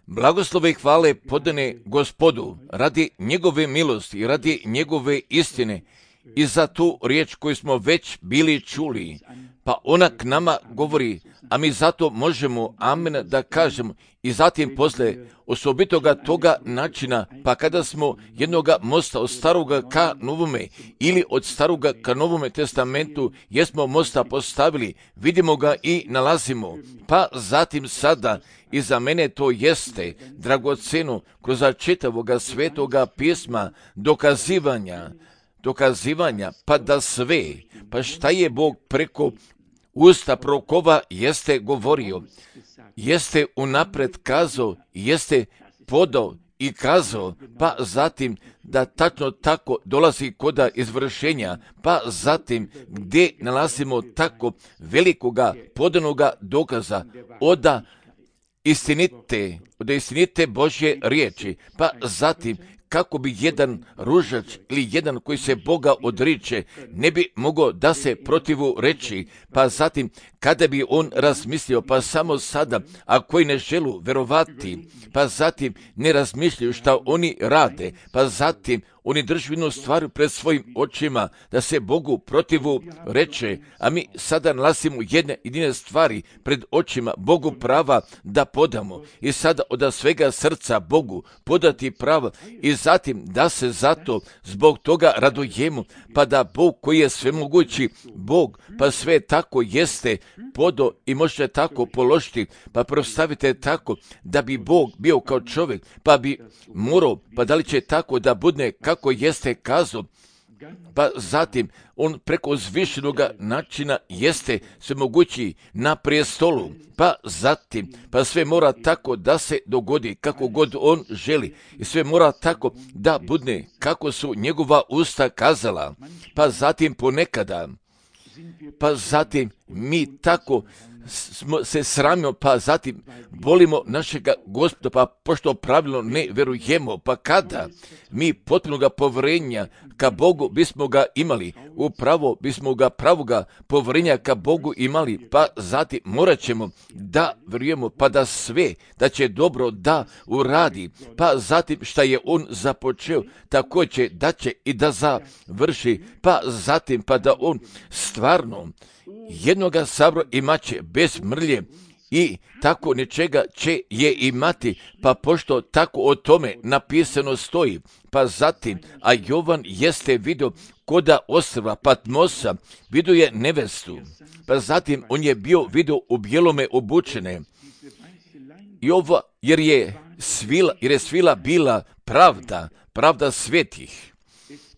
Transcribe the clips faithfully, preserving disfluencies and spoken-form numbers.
Blagoslove i hvale podane Gospodu radi njegove milosti i radi njegove istine i za tu riječ koju smo već bili čuli. Pa ona k nama govori, a mi zato možemo amen da kažemo. I zatim posle osobitoga toga načina, pa kada smo jednoga mosta od staroga ka novome ili od staroga ka novome testamentu, jesmo mosta postavili, vidimo ga i nalazimo. Pa zatim sada, i za mene to jeste dragoceno kroz čitavoga svetoga pisma dokazivanja, dokazivanja, pa da sve, pa šta je Bog preko usta prorokova jeste govorio, jeste unapred kazao, jeste podao i kazao, pa zatim da tačno tako dolazi koda izvršenja, pa zatim gdje nalazimo tako velikoga podanoga dokaza oda istinite, od istinite Božje riječi, pa zatim kako bi jedan ružač ili jedan koji se Boga odriče ne bi mogao da se protivu reći, pa zatim kada bi on razmislio, pa samo sada, a koji ne želu verovati, pa zatim ne razmišljaju šta oni rade, pa zatim oni drži jednu stvar pred svojim očima, da se Bogu protivu reče, a mi sada nalazimo jedne jedine stvari pred očima Bogu prava da podamo i sada od svega srca Bogu podati prava i zatim da se zato zbog toga radujemo, pa da Bog koji je svemogući Bog, pa sve tako jeste podo i možete tako položiti, pa prostavite tako da bi Bog bio kao čovjek, pa bi morao, pa da li će tako da budne kako jeste kazao, pa zatim on preko zvišenoga načina jeste svemogući na prijestolu, pa zatim, pa sve mora tako da se dogodi kako god on želi i sve mora tako da budne kako su njegova usta kazala, pa zatim ponekada, pa zatim mi tako smo se sramimo, pa zatim volimo našega Gospoda, pa pošto pravilno ne verujemo, pa kada mi potpuno ga povjerenja ka Bogu bismo ga imali, upravo bismo ga pravoga povjerenja ka Bogu imali, pa zatim morat ćemo da verujemo, pa da sve, da će dobro da uradi, pa zatim šta je on započeo, tako će da će i da završi, pa zatim pa da on stvarno jednoga sabora imaće bez mrlje i tako nečega će je imati, pa pošto tako o tome napisano stoji, pa zatim, a Jovan jeste vidio koda ostrva Patmosa, vidio je nevestu, pa zatim on je bio vidio u bijelome obučene, i ova, jer je svila, jer je svila bila pravda, pravda svetih.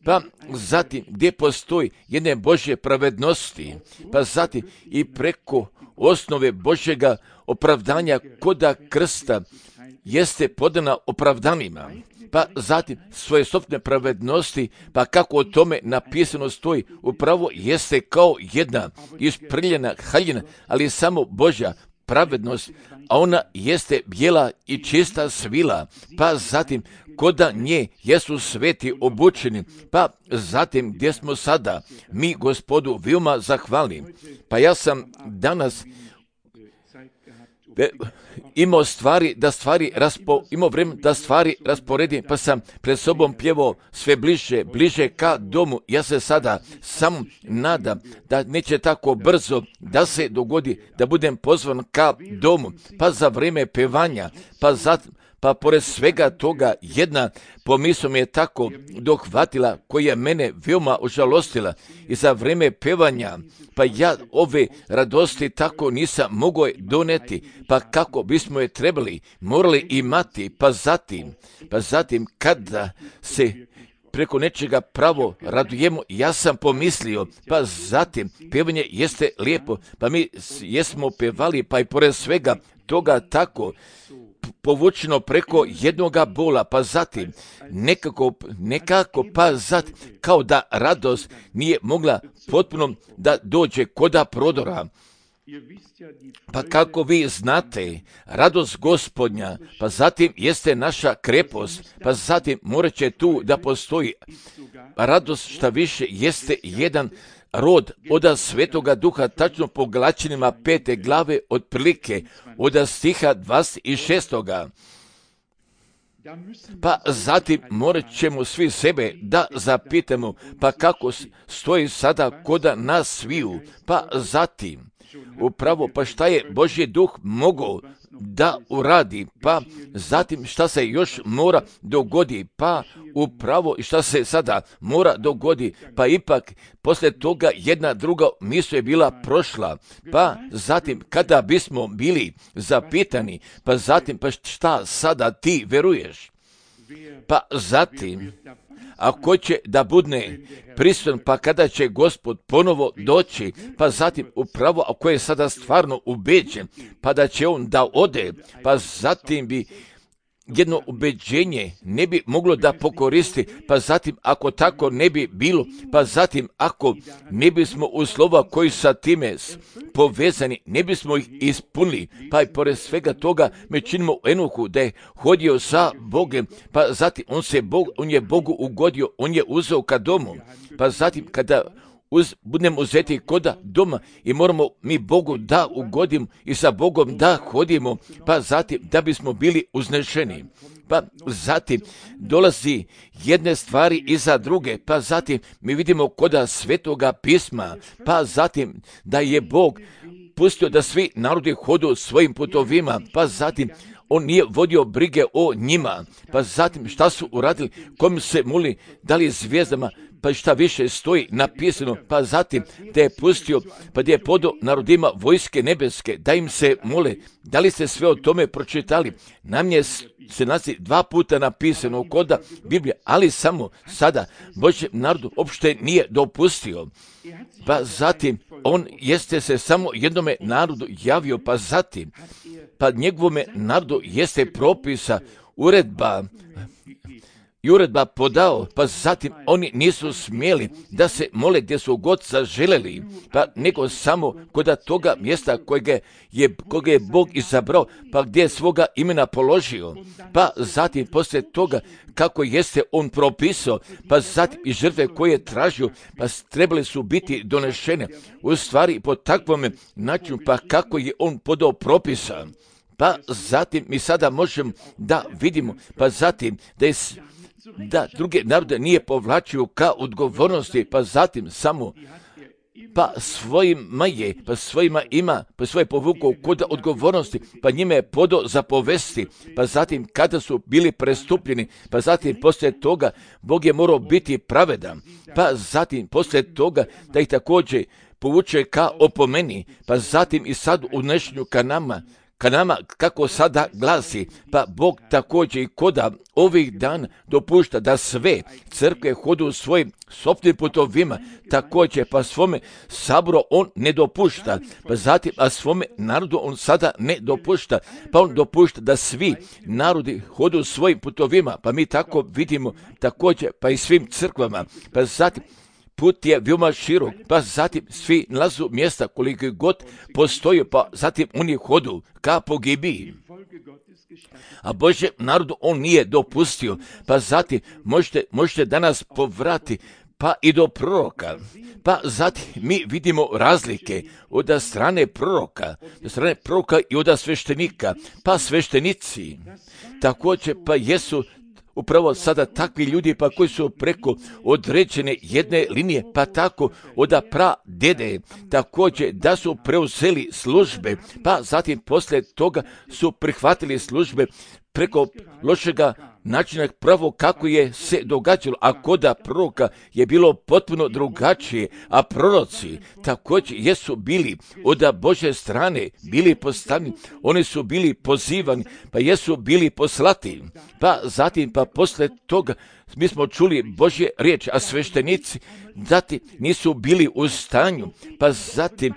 Pa zatim gdje postoji jedne Božje pravednosti, pa zatim i preko osnove Božjega opravdanja koda krsta jeste podana opravdanima, pa zatim svoje sopstvene pravednosti, pa kako o tome napisano stoji, upravo jeste kao jedna isprljena haljina, ali samo Božja pravednost, a ona jeste bijela i čista svila, pa zatim koda nje jesu sveti obučeni, pa zatim gdje smo sada, mi Gospodu veoma zahvalni. Pa ja sam danas imao stvari da stvari raspo, imao vreme da stvari rasporedim, pa sam pred sobom pjevao sve bliže, bliže ka domu. Ja se sada samo nadam da neće tako brzo da se dogodi da budem pozvan ka domu, pa za vrijeme pevanja, pa zatim pa pored svega toga jedna pomisao me je tako dohvatila koja je mene veoma užalostila i za vrijeme pevanja, pa ja ove radosti tako nisam mogao doneti, pa kako bismo je trebali, morali imati, pa zatim, pa zatim kada se preko nečega pravo radujemo, ja sam pomislio, pa zatim pevanje jeste lijepo, pa mi jesmo pevali, pa i pored svega toga tako povučeno preko jednoga bola, pa zatim nekako, nekako pa zatim kao da radost nije mogla potpuno da dođe koda prodora. Pa kako vi znate, radost Gospodnja, pa zatim jeste naša krepost, pa zatim morat će tu da postoji radost, šta više jeste jedan rod oda Svetoga Duha, tačno po Galaćanima pete glave, otprilike oda stiha dvadeset šestoga. Pa zatim morat ćemo svi sebe da zapitamo, pa kako stoji sada koda nas sviju, pa zatim upravo pa šta je Božji duh mogao da uradi, pa zatim šta se još mora dogodi, pa upravo i šta se sada mora dogodi, pa ipak poslije toga jedna druga misao je bila prošla, pa zatim kada bismo bili zapitani, pa zatim pa šta sada ti veruješ, pa zatim ako će da budne prisutan, pa kada će Gospod ponovo doći, pa zatim upravo ako je sada stvarno ubeđen, pa da će on da ode, pa zatim bi jedno ubeđenje ne bi moglo da pokoristi, pa zatim ako tako ne bi bilo, pa zatim ako ne bismo u slova koji sa time povezani, ne bismo ih ispunili, pa i pored svega toga mi činimo u Enohu da je hodio sa Bogem, pa zatim on, se Bog, on je Bogu ugodio, on je uzeo ka domu, pa zatim kada uz, budemo uzeti koda doma i moramo mi Bogu da ugodimo i sa Bogom da hodimo, pa zatim da bismo bili uznešeni. Pa zatim dolazi jedne stvari iza druge, pa zatim mi vidimo koda Svetoga pisma, pa zatim da je Bog pustio da svi narodi hodu svojim putovima, pa zatim on nije vodio brige o njima, pa zatim šta su uradili, kom se moli, da li zvijezdama, pa šta više stoji napisano, pa zatim da je pustio, pa da je podao narodima vojske nebeske, da im se mole. Da li ste sve o tome pročitali? Nam je se nalazi dva puta napisano koda Biblije, ali samo sada Božjem narodu uopšte nije dopustio. Pa zatim on jeste se samo jednome narodu javio, pa zatim pa njegovome narodu jeste propisa, uredba i uredba podao, pa zatim oni nisu smjeli da se mole gdje su god zaželjeli, pa nego samo kod toga mjesta kojega je, kojega je Bog izabrao, pa gdje je svoga imena položio, pa zatim poslije toga kako jeste on propisao, pa zatim i žrtve koje je tražio, pa trebali su biti donešene, u stvari po takvom načinu, pa kako je on podao propisa. Pa zatim mi sada možemo da vidimo, pa zatim da je da druge narode nije povlačio ka odgovornosti, pa zatim samo pa svojima je, pa svojima ima, pa svoje povukao kod odgovornosti, pa njime je podao zapovesti, pa zatim kada su bili prestupljeni, pa zatim poslije toga Bog je morao biti pravedan, pa zatim poslije toga da ih također povuče ka opomeni, pa zatim i sad u dnešnju ka nama, ka nama, kako sada glasi, pa Bog također i koda ovih dana dopušta da sve crkve hodu svojim sopstvenim putovima, također pa svome saboru on ne dopušta, pa zatim a svome narodu on sada ne dopušta, pa on dopušta da svi narodi hodu svojim putovima, pa mi tako vidimo također pa i svim crkvama, pa zatim put je veoma širok, pa zatim svi nalazu mjesta koliko god postoji, pa zatim oni hodu ka pogibiji. A Božje narodu on nije dopustio, pa zatim možete, možete danas povrati pa i do proroka. Pa zatim mi vidimo razlike od strane proroka, od strane proroka i od sveštenika, pa sveštenici također pa jesu upravo sada takvi ljudi pa koji su preko određene jedne linije, pa tako od pra dede, također da su preuzeli službe, pa zatim poslije toga su prihvatili službe preko lošega načina pravo kako je se događalo, a koda proroka je bilo potpuno drugačije, a proroci također jesu bili od Božje strane, bili postavljeni, oni su bili pozivani, pa jesu bili poslati, pa zatim pa poslije toga mi smo čuli Božje riječ, a sveštenici zatim nisu bili u stanju, pa zatim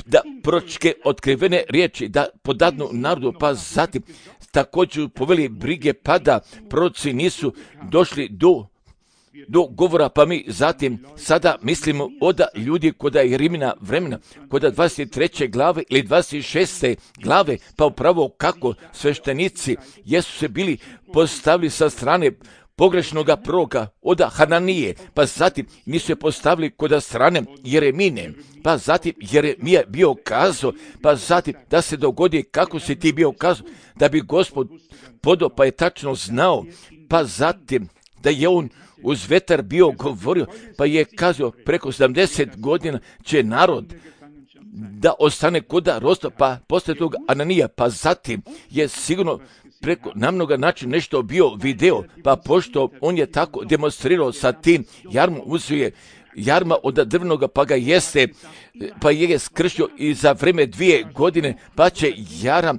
da proročke otkrivene riječi da podadnu narodu, pa zatim također poveli brige, pa da proroci nisu došli do, do govora, pa mi zatim sada mislimo od ljudi koda je Rimina vremena, koda dvadeset treće glave ili dvadeset šeste glave, pa upravo kako sveštenici jesu se bili postavili sa strane pogrešnoga proroka od Hananije, pa zatim nisu je postavili kod strane Jeremine, pa zatim Jeremija bio kazao, pa zatim da se dogodi kako si ti bio kazao, da bi Gospod podao, pa je tačno znao, pa zatim da je on uz vetar bio govorio, pa je kazao preko sedamdeset godina će narod da ostane kuda rosta, pa poslije toga Ananija, pa zatim je sigurno preko namnoga načina nešto bio video, pa pošto on je tako demonstrirao sa tim jarmom, uzeo je jarma od drvnoga, pa ga jeste, pa je skršio i za vreme dvije godine, pa će jaram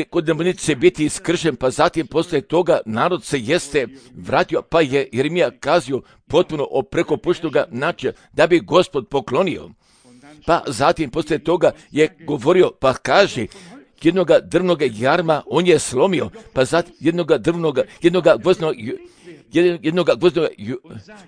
kod demonice biti iskršen, pa zatim poslije toga narod se jeste vratio, pa je Jeremija kazio potpuno o preko puštoga načina da bi Gospod poklonio. Pa zatim poslije toga je govorio, pa kaže, jednoga drvnoga jarma on je slomio, pa zatim jednoga drvnoga, jednoga gvozdnog, jednoga gvozdnog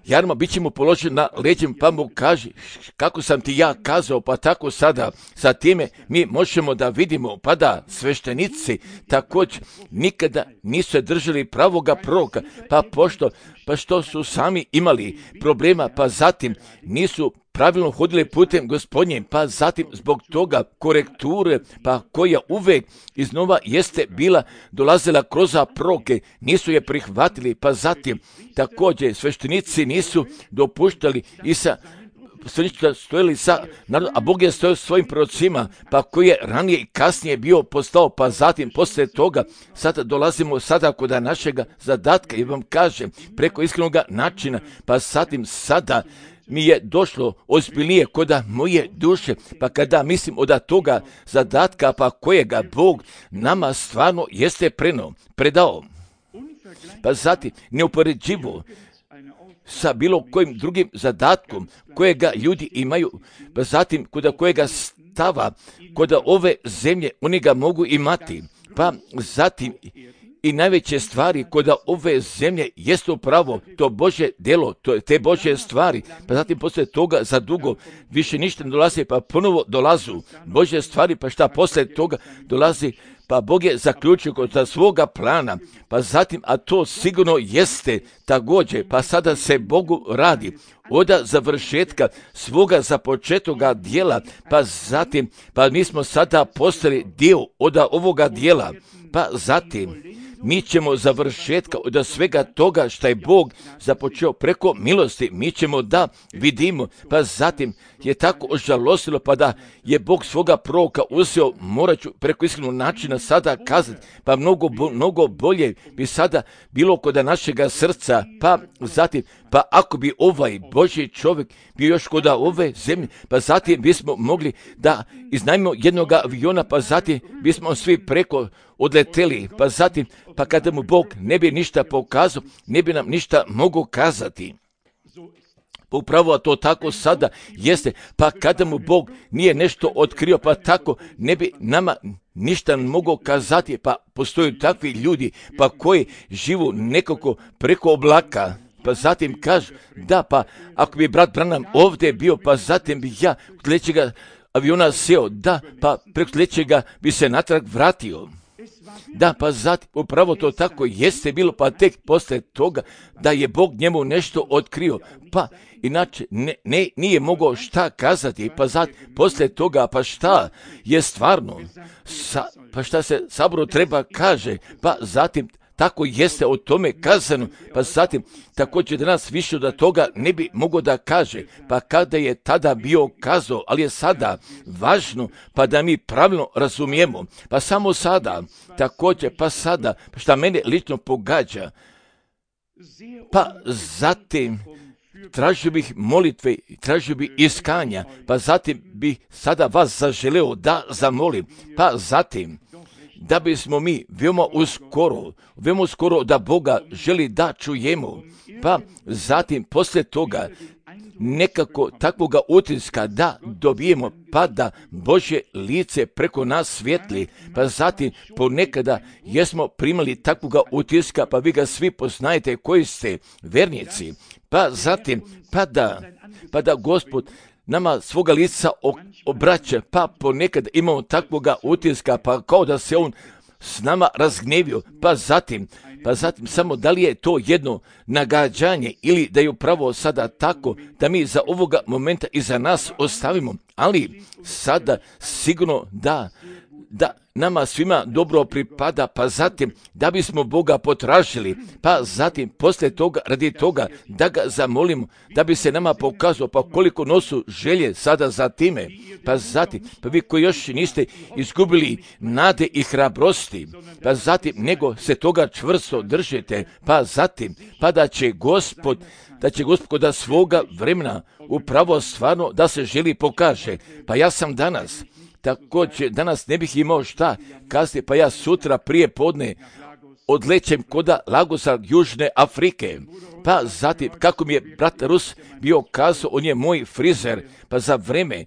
jarma bit će mu položen na leđem, pa mu kaže, kako sam ti ja kazao, pa tako sada sa time mi možemo da vidimo, pa da sveštenici također nikada nisu držali pravoga proroka, pa pošto, pa što su sami imali problema, pa zatim nisu pravilno hodili putem Gospodnjim, pa zatim zbog toga korekture, pa koja uvek iznova jeste bila dolazila kroz proroke, nisu je prihvatili, pa zatim također sveštenici nisu dopuštali i sa stojili sa narodom, a Bog je stojio svojim prorocima, pa koji je ranije i kasnije bio postao, pa zatim poslije toga sada dolazimo sada kod našega zadatka i vam kažem preko iskrenog načina, pa zatim sada mi je došlo ozbiljnije koda moje duše, pa kada mislim od toga zadatka, pa kojega Bog nama stvarno jeste preno, predao, pa zatim neupoređivo sa bilo kojim drugim zadatkom kojega ljudi imaju, pa zatim kod kojega stava, kod ove zemlje oni ga mogu imati, pa zatim i najveće stvari kod ove zemlje jeste upravo to Božje delo, to, te Božje stvari, pa zatim poslije toga za dugo više ništa ne dolazi, pa ponovo dolazu Božje stvari, pa šta poslije toga dolazi, pa Bog je zaključio kod svoga plana, pa zatim, a to sigurno jeste također, pa sada se Bogu radi od završetka svoga započetoga dijela, pa zatim, pa mi smo sada postali dio od ovoga dijela, pa zatim mi ćemo završetka od svega toga što je Bog započeo preko milosti, mi ćemo da vidimo, pa zatim je tako ožalosilo, pa da je Bog svoga proroka uzeo, morat ću preko iskrenog načina sada kazati, pa mnogo, mnogo bolje bi sada bilo kod našega srca, pa zatim, pa ako bi ovaj Božji čovjek bio još kod ove zemlje, pa zatim bismo mogli da iznajmimo jednog aviona, pa zatim bismo svi preko odleteli, pa zatim, pa kada mu Bog ne bi ništa pokazao, ne bi nam ništa mogao kazati. Pa upravo to tako sada jeste, pa kada mu Bog nije nešto otkrio, pa tako ne bi nama ništa mogao kazati, pa postoje takvi ljudi, pa koji živu nekako preko oblaka, pa zatim kažu, da, pa ako bi brat Branham ovdje bio, pa zatim bi ja u sljedećega aviona seo, da, pa preko sljedećega bi se natrag vratio. Da, pa zatim, upravo to tako jeste bilo, pa tek poslije toga da je Bog njemu nešto otkrio, pa inače ne, ne, nije mogao šta kazati, pa zatim, poslije toga, pa šta je stvarno, sa, pa šta se saboru treba kaže, pa zatim, tako jeste o tome kazano, pa zatim također danas više od toga ne bi mogao da kaže, pa kada je tada bio kazao, ali je sada važno pa da mi pravilno razumijemo, pa samo sada, također pa sada, šta mene lično pogađa, pa zatim tražio bih molitve, tražio bih iskanja, pa zatim bih sada vas zaželeo da zamolim, pa zatim da bismo mi veoma uskoro, veoma uskoro da Boga želi da čujemo, pa zatim poslije toga nekako takvoga utiska da dobijemo, pa da Božje lice preko nas svijetli, pa zatim ponekada jesmo primali takvoga utiska, pa vi ga svi poznajete koji ste vernici, pa zatim, pa da, pa da Gospod nama svoga lica obraća, pa ponekad imamo takvoga utiska, pa kao da se on s nama razgnevio, pa zatim, pa zatim samo da li je to jedno nagađanje ili da je upravo sada tako da mi za ovoga momenta i za nas ostavimo, ali sada sigurno da, da nama svima dobro pripada, pa zatim da bismo Boga potražili, pa zatim poslije toga, radi toga da ga zamolimo, da bi se nama pokazao, pa koliko nosu želje sada za time, pa zatim, pa vi koji još niste izgubili nade i hrabrosti, pa zatim nego se toga čvrsto držite, pa zatim, pa da će Gospod, da će Gospod da svoga vremena upravo stvarno da se želi pokaže. Pa ja sam danas, također danas ne bih imao šta kazati, pa ja sutra prije podne odlećem koda Lagosa Južne Afrike. Pa zatim, kako mi je brat Rus bio kazao, on je moj frizer, pa za vreme,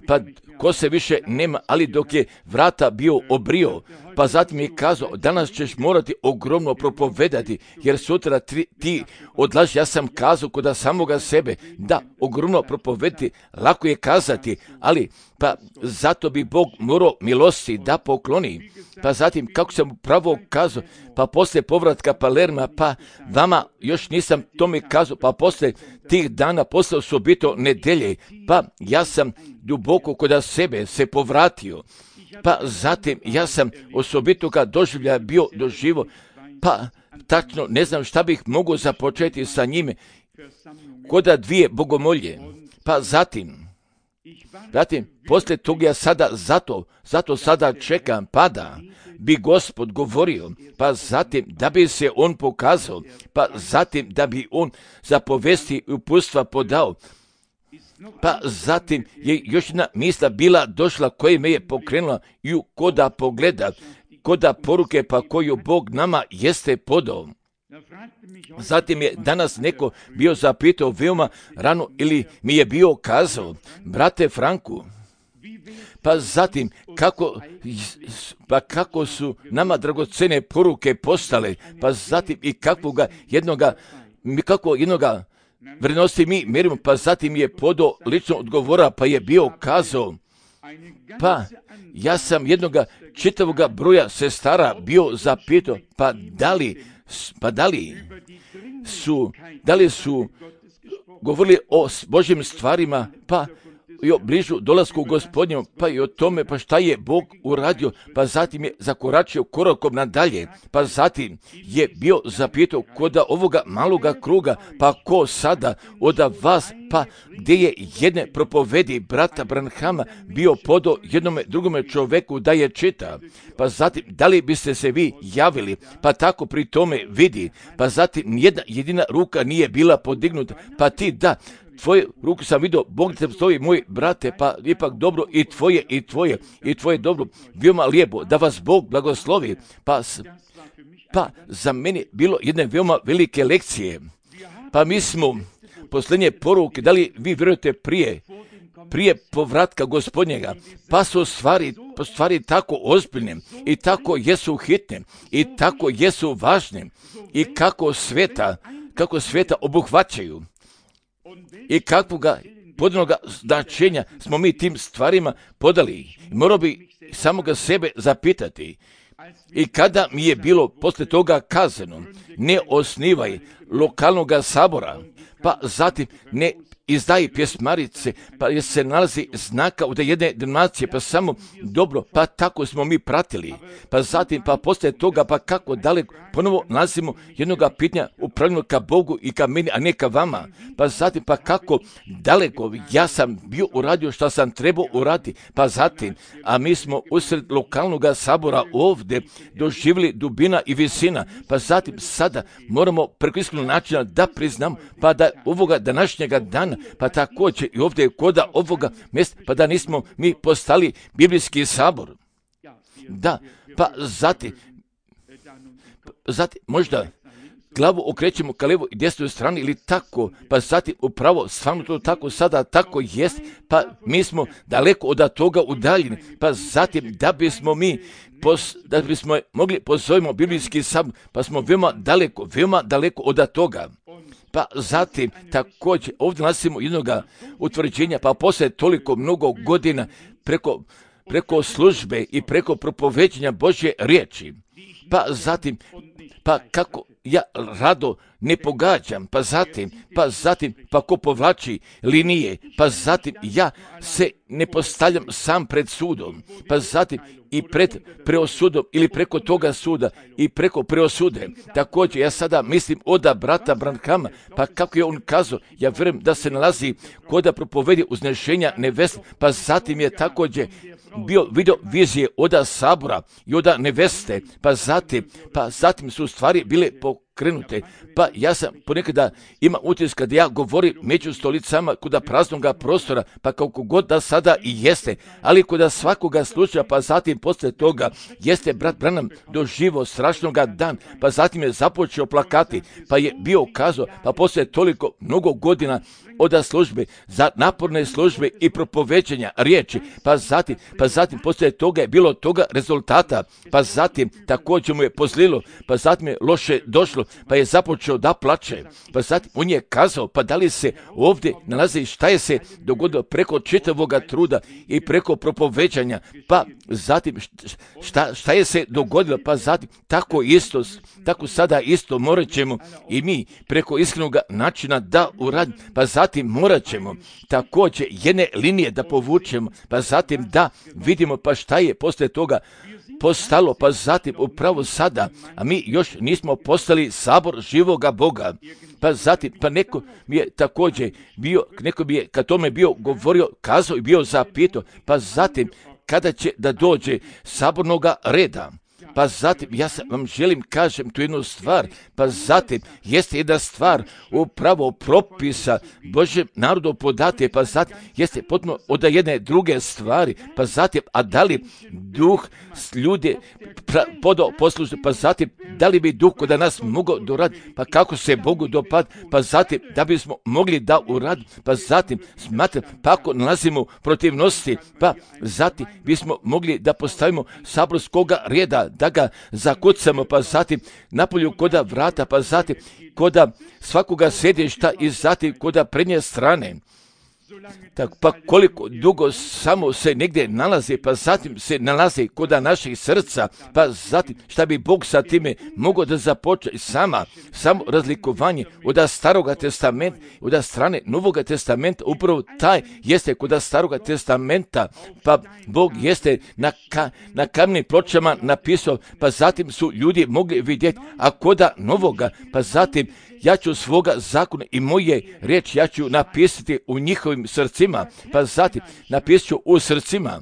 pa ko se više nema, ali dok je vrata bio obrio, pa zatim je kazao, danas ćeš morati ogromno propovedati, jer sutra tri, ti odlaži, ja sam kazao koda samoga sebe, da, ogromno propovedati, lako je kazati, ali pa zato bi Bog morao milosti da pokloni. Pa zatim, kako sam pravo kazao, pa poslije povratka Palerma, pa vama još nisam tome kazao, pa poslije tih dana, poslije osobito nedelje, pa ja sam duboko kod sebe se povratio, pa zatim ja sam osobito ga doživlja bio doživo, pa tačno ne znam šta bih mogao započeti sa njime, koda dvije bogomolje, pa zatim, zatim, poslije toga ja sada zato, zato sada čekam, pa da bi Gospod govorio, pa zatim da bi se on pokazao, pa zatim da bi on za povesti i uputstva podao, pa zatim je još jedna misla bila došla koja me je pokrenula i koda pogleda, koda poruke pa koju Bog nama jeste podao. Zatim je danas neko bio zapitao veoma rano ili mi je bio kazao, brate Franku, pa zatim kako, pa kako su nama dragocene poruke postale, pa zatim i kakvoga jednoga, kako jednoga vrednosti mi merimo, pa zatim je podao lično odgovora, pa je bio kazao, pa ja sam jednoga čitavoga broja sestara bio zapitao, pa da li, pa da li su, da li su govorili o Božjim stvarima, pa i o bližu dolasku Gospodnjem, pa i o tome, pa šta je Bog uradio, pa zatim je zakoračio korakom nadalje, pa zatim je bio zapitao koda ovoga maloga kruga, pa ko sada od vas, pa gdje je jedne propovedi brata Branhama bio podao jednome drugome čoveku da je čita, pa zatim da li biste se vi javili, pa tako pri tome vidi, pa zatim nijedna jedina ruka nije bila podignuta, pa ti da, tvoje ruku sam vidio, Bog te stoji, moj brate, pa ipak dobro i tvoje, i tvoje, i tvoje dobro, veoma lijepo, da vas Bog blagoslovi, pa, pa za mene bilo jedne veoma velike lekcije, pa mi smo posljednje poruke, da li vi vjerujete prije, prije povratka Gospodnjega, pa su stvari, pa stvari tako ozbiljne i tako jesu hitne i tako jesu važne i kako sveta, kako sveta obuhvaćaju. I kakvoga podanoga značenja smo mi tim stvarima podali. Morao bi samoga sebe zapitati. I kada mi je bilo posle toga kazano, ne osnivaj lokalnog sabora, pa zatim ne izdaji pjesmarice, pa je se nalazi znaka od jedne denominacije, pa samo dobro, pa tako smo mi pratili. Pa zatim, pa poslije toga, pa kako daleko, ponovo nalazimo jednoga pitanja upravljeno ka Bogu i ka meni, a ne ka vama. Pa zatim, pa kako daleko, ja sam bio uradio što sam trebao uraditi. Pa zatim, a mi smo usred lokalnog sabora ovdje doživjeli dubina i visina. Pa zatim, sada moramo preko iskrenog načina da priznamo, pa da ovoga današnjega dana, pa također i ovdje koda ovoga mjesta, pa da nismo mi postali biblijski sabor. Da, pa zatim, zatim možda glavu okrećemo ka levo i desnoj strani ili tako, pa zatim upravo stvarno to tako sada tako jest, pa mi smo daleko od toga udaljeni, pa zatim da bismo mi pos, da bismo mogli pozovemo biblijski sabor, pa smo veoma daleko, veoma daleko od toga. Pa zatim također ovdje nalazimo jednoga utvrđenja, pa poslije toliko mnogo godina preko preko službe i preko propoveđenja Božje riječi. Pa zatim, pa kako ja rado ne pogađam, pa zatim, pa zatim, pa ko povlači linije, pa zatim ja se ne postavljam sam pred sudom, pa zatim i pred preosudom ili preko toga suda i preko preosude. Također ja sada mislim oda brata Branhama, pa kako je on kazao, ja vjerujem da se nalazi koda propovedi uznešenja neveste, pa zatim je također bio video vizije oda sabora i oda neveste, pa zatim, pa zatim su stvari bile pokrenute. Pa ja sam ponekada ima utisak kada ja govorim među stolicama kuda praznoga prostora, pa kako god da sada i jeste, ali kuda svakoga slučaja, pa zatim posle toga jeste brat Branham doživo strašnoga dan, pa zatim je započeo plakati, pa je bio kazao, pa posle toliko mnogo godina oda službe, za naporne službe i propoveđenja riječi, pa zatim, pa zatim poslije toga je bilo toga rezultata, pa zatim također mu je pozlilo, pa zatim je loše došlo, pa je započeo da plače, pa zatim on je kazao, pa da li se ovdje nalazi šta je se dogodilo preko čitavoga truda i preko propoveđanja, pa zatim šta, šta je se dogodilo, pa zatim tako isto, tako sada isto morat ćemo i mi preko iskrenog načina da uradimo, pa zatim Zatim morat ćemo također jedne linije da povučemo, pa zatim da vidimo pa šta je poslije toga postalo, pa zatim upravo sada, a mi još nismo postali sabor živoga Boga. Pa zatim, pa neko mi je također bio, neko mi je kad tome bio govorio, kazao i bio zapitao, pa zatim kada će da dođe sabornoga reda. Pa zatim, ja sam vam želim kažem tu jednu stvar, pa zatim jeste jedna stvar upravo propisa Božjem narodu podate, pa zatim jeste potpuno od jedne druge stvari, pa zatim, a da li duh ljude podao poslušati, pa zatim, da li bi duh kod nas mogao doraditi, pa kako se Bogu dopad, pa zatim, da bismo mogli da uraditi, pa zatim, smatram, pa ako nalazimo protivnosti, pa zatim bismo mogli da postavimo saborskoga reda, da ga zakucamo, pa zatim napolju koda vrata, pa zatim koda svakoga sjedišta i zatim koda prednje strane. Tak, pa koliko dugo samo se negdje nalazi, pa zatim se nalazi koda naših srca, pa zatim šta bi Bog sa time mogao da započne sama, samo razlikovanje od staroga testamenta, od strane novoga testamenta, upravo taj jeste kod staroga testamenta, pa Bog jeste na, ka, na kamnim pločama napisao, pa zatim su ljudi mogli vidjeti, a koda novoga, pa zatim ja ću svoga zakona i moje riječi ja ću napisati u njihovim srcima, pa zatim napisat ću u srcima,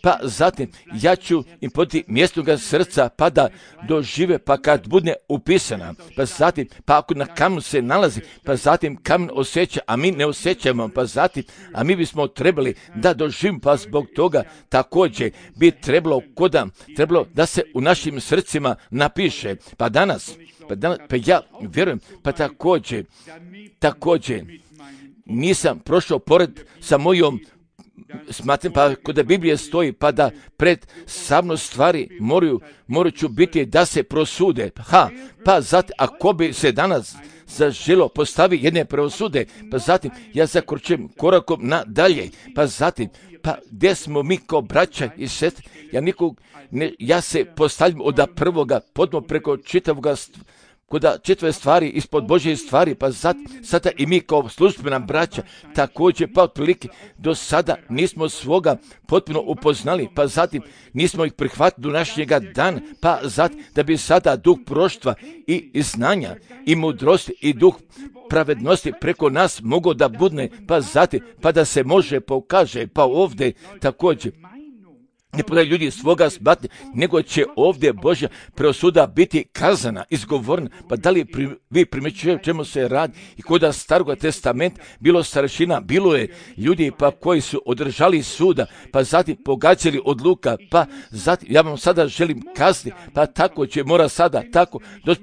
pa zatim ja ću im podati mjestoga srca pa da dožive, pa kad bude upisana, pa zatim, pa ako na kamenu se nalazi, pa zatim kamen osjeća, a mi ne osjećamo, pa zatim, a mi bismo trebali da doživimo, pa zbog toga također bi trebalo koda, trebalo da se u našim srcima napiše, pa danas, pa, danas, pa ja vjerujem, pa također, također, nisam prošao pored sa mojom, smatram, pa kod Biblije stoji, pa da pred samno stvari moraju, moraju ću biti da se prosude. Ha, pa zatim, ako bi se danas zaželo postavi jedne preosude, pa zatim ja zakročujem korakom nadalje, pa zatim, pa gdje smo mi kao braća i sestre, ja nikog, ne, ja se postavljam od prvoga, podno preko čitavoga koda čitave stvari ispod Božje stvari, pa zat, sada i mi kao službena braća također, pa otprilike do sada nismo svoga potpuno upoznali, pa zatim nismo ih prihvatili do našega dana, pa zatim da bi sada duh proštva i, i znanja i mudrosti i duh pravednosti preko nas mogao da budne, pa zatim pa da se može pokaže, pa ovdje također ne podaju ljudi svoga sbatnje, nego će ovdje Božja preosuda biti kazana, izgovorena. Pa da li pri, vi primjećujete čemu se radi i koda staroga testamenta bilo starešina, bilo je ljudi pa koji su održali suda, pa zatim pogađali odluka, pa zatim, ja vam sada želim kazati, pa tako će mora sada, tako,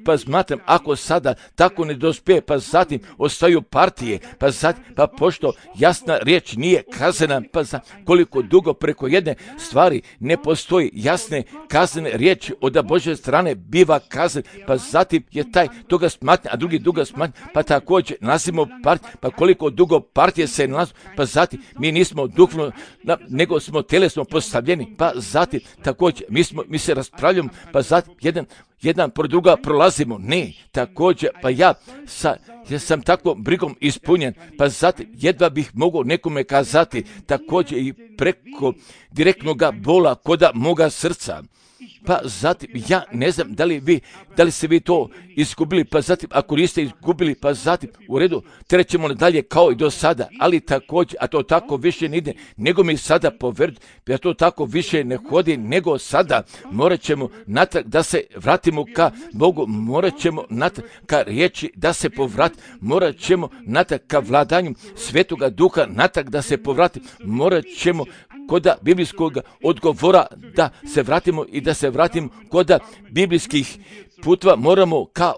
pa smatram, ako sada tako ne dospije, pa zatim ostaju partije, pa zatim, pa pošto jasna riječ nije kazana, pa za koliko dugo preko jedne stvari stvari ne postoji jasne kaznene riječi od Božje strane biva kazan, pa zatim je taj toga smatnja, a drugi duga smatnja, pa također nalazimo partije, pa koliko dugo partije se nalazu, pa zatim mi nismo duhovno, nego smo telesno postavljeni, pa zatim također mi, smo, mi se raspravljamo, pa zatim jedan jedan pored druga prolazimo, ne, također, pa ja, sa, ja sam tako brigom ispunjen, pa zatim jedva bih mogao nekome kazati, također i preko direktnog bola koda moga srca. Pa zatim, ja ne znam da li vi, da li ste vi to izgubili, pa zatim, ako niste izgubili, pa zatim, u redu, trećemo dalje kao i do sada, ali također, a to tako više ne ide, nego mi sada poveriti, ja to tako više ne hodi, nego sada, morat ćemo natrag da se vratimo ka Bogu, morat ćemo natrag ka riječi da se povrati, morat ćemo natrag ka vladanju Svetoga Duha, natrag da se povrati, morat ćemo koda biblijskog odgovora da se vratimo i da se vratimo koda biblijskih putva, moramo ka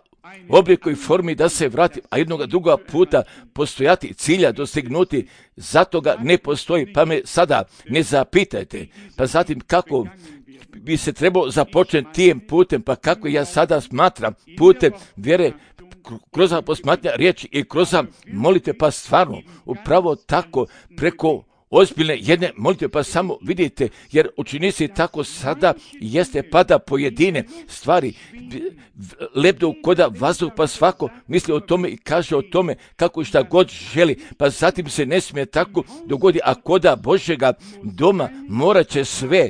obliku i formi da se vrati, a jednoga druga puta postojati cilja, dostignuti, zato ga ne postoji, pa me sada ne zapitajte, pa zatim kako bi se trebalo započeti tim putem, pa kako ja sada smatram putem vjere, kroz posmatnja riječi i kroz molite, pa stvarno, upravo tako preko ozbiljne jedne molitve, pa samo vidite, jer učinici tako sada jeste pada pojedine stvari, lebdu koda vazduh, pa svako misli o tome i kaže o tome kako šta god želi, pa zatim se ne smije tako dogodi, a koda Božjega doma morat će sve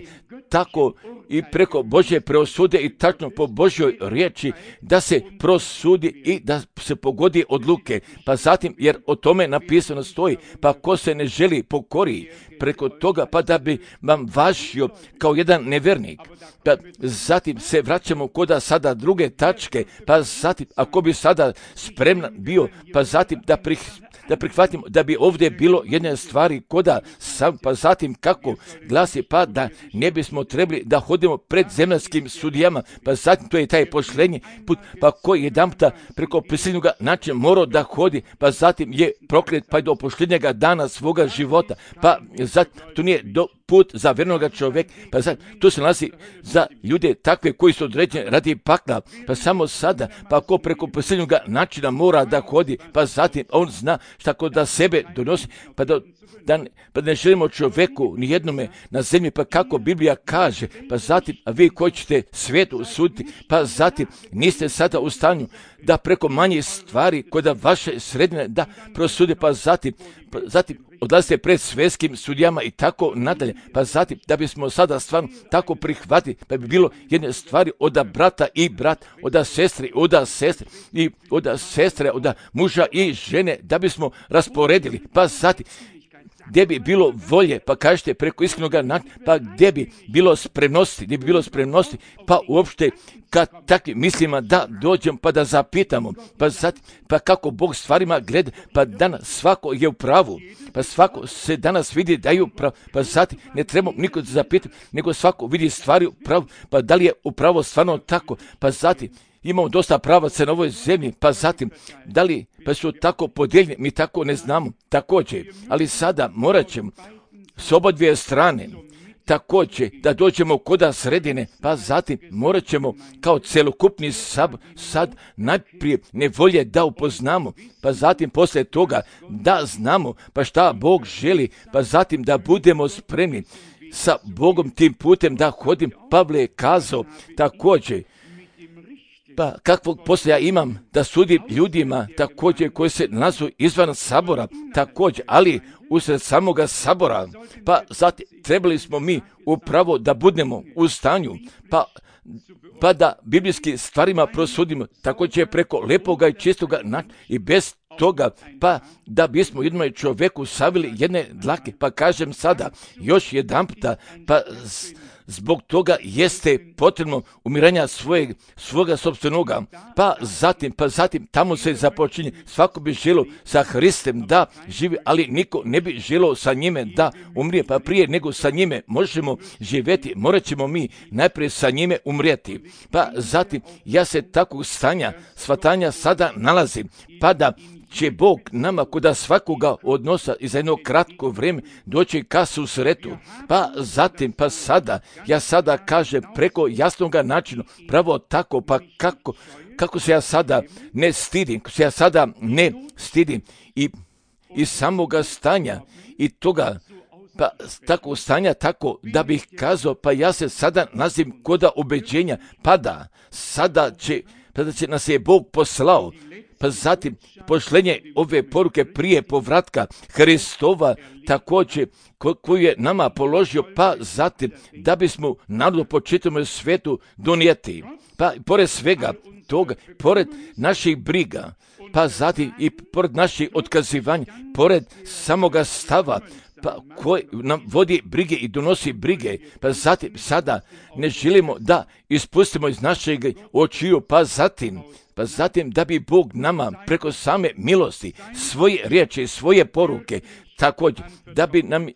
tako i preko Božje preosude i tačno po Božjoj riječi da se prosudi i da se pogodi odluke. Pa zatim, jer o tome napisano stoji, pa ko se ne želi pokori preko toga, pa da bi vam važio kao jedan nevernik. Pa zatim se vraćamo koda sada druge tačke, pa zatim, ako bi sada spreman bio, pa zatim da prih da prihvatimo da bi ovdje bilo jedne stvari koda sam, pa zatim kako glasi, pa da ne bismo trebali da hodimo pred zemaljskim sudijama, pa zatim to je taj pošlenji put, pa koji jedan puta preko prisilnog načina morao da hodi, pa zatim je proklet pa do pošljenjega dana svoga života, pa zatim to nije do put za vjernoga čovjeka, pa zatim to se nalazi za ljude takve koji su određeni radi pakla, pa samo sada, pa ako preko posljednjeg načina mora da hodi, pa zatim on zna šta kod da sebe donosi, pa da, da, pa ne želimo čovjeku nijednome na zemlji, pa kako Biblija kaže, pa zatim, a vi koji ćete svijetu suditi, pa zatim niste sada u stanju da preko manjih stvari kod vaše sredine da prosude, pa zatim, pa zatim odlazite pred svjetskim sudijama i tako nadalje, pa zatim da bismo sada stvarno tako prihvatili, pa bi bilo jedne stvari od brata i brat, od sestri, od sestre i od sestre, od muža i žene, da bismo rasporedili, pa zatim gdje bi bilo volje, pa kažete preko iskrenog načina, pa gdje bi bilo spremnosti, gdje bi bilo spremnosti, pa uopšte kad takvim mislima da dođem pa da zapitamo, pa zatim, pa kako Bog stvarima gleda, pa danas svako je u pravu, pa svako se danas vidi da je u pravu, pa zatim ne trebamo niko zapitati, nego svako vidi stvari u pravu, pa da li je upravo stvarno tako, pa zatim imamo dosta pravaca na ovoj zemlji, pa zatim, da li pa su tako podijeljeni, mi tako ne znamo, također, ali sada morat ćemo s oba dvije strane, također, da dođemo koda sredine, pa zatim morat ćemo kao celokupni sab, sad najprije nevolje da upoznamo, pa zatim poslije toga da znamo, pa šta Bog želi, pa zatim da budemo spremni sa Bogom tim putem da hodim. Pavle je kazao također, pa kakvog posla ja imam da sudim ljudima također koji se nalazu izvan sabora, također, ali usred samoga sabora, pa zatim trebali smo mi upravo da budemo u stanju, pa, pa da biblijski stvarima prosudimo, također preko lepoga i čistoga načina i bez toga, pa da bismo jednom čovjeku savili jedne dlake, pa kažem sada još jedan puta, pa zbog toga jeste potrebno umiranja svojeg, svoga sopstvenoga, pa zatim, pa zatim tamo se započinje. Svako bi želio sa Hristem da živi, ali niko ne bi želio sa njime da umrije, pa prije nego sa njime možemo živjeti, morat ćemo mi najprije sa njime umrijeti. Pa zatim, ja se takvog stanja, shvatanja sada nalazim, pa da će Bog nama koda svakoga odnosa i za jedno kratko vrijeme doći ka susretu. Pa zatim, pa sada, ja sada kažem preko jasnoga načina, pravo tako, pa kako, kako se ja sada ne stidim, kako se ja sada ne stidim i, i samoga stanja i toga, pa tako stanja tako da bih kazao, pa ja se sada nazim koda ubeđenja, pa da sada će, pa da će nas je Bog poslao, pa zatim pošlenje ove poruke prije povratka Hristova također ko, koju je nama položio, pa zatim da bismo narodu po čitavom svijetu donijeti. Pa pored svega toga, pored naših briga, pa zatim i pored naših otkazivanja, pored samoga stava, pa koji nam vodi brige i donosi brige, pa zatim sada ne želimo da ispustimo iz našeg očiju, pa zatim, pa zatim da bi Bog nama preko same milosti, svoje riječi, svoje poruke, također da bi nam,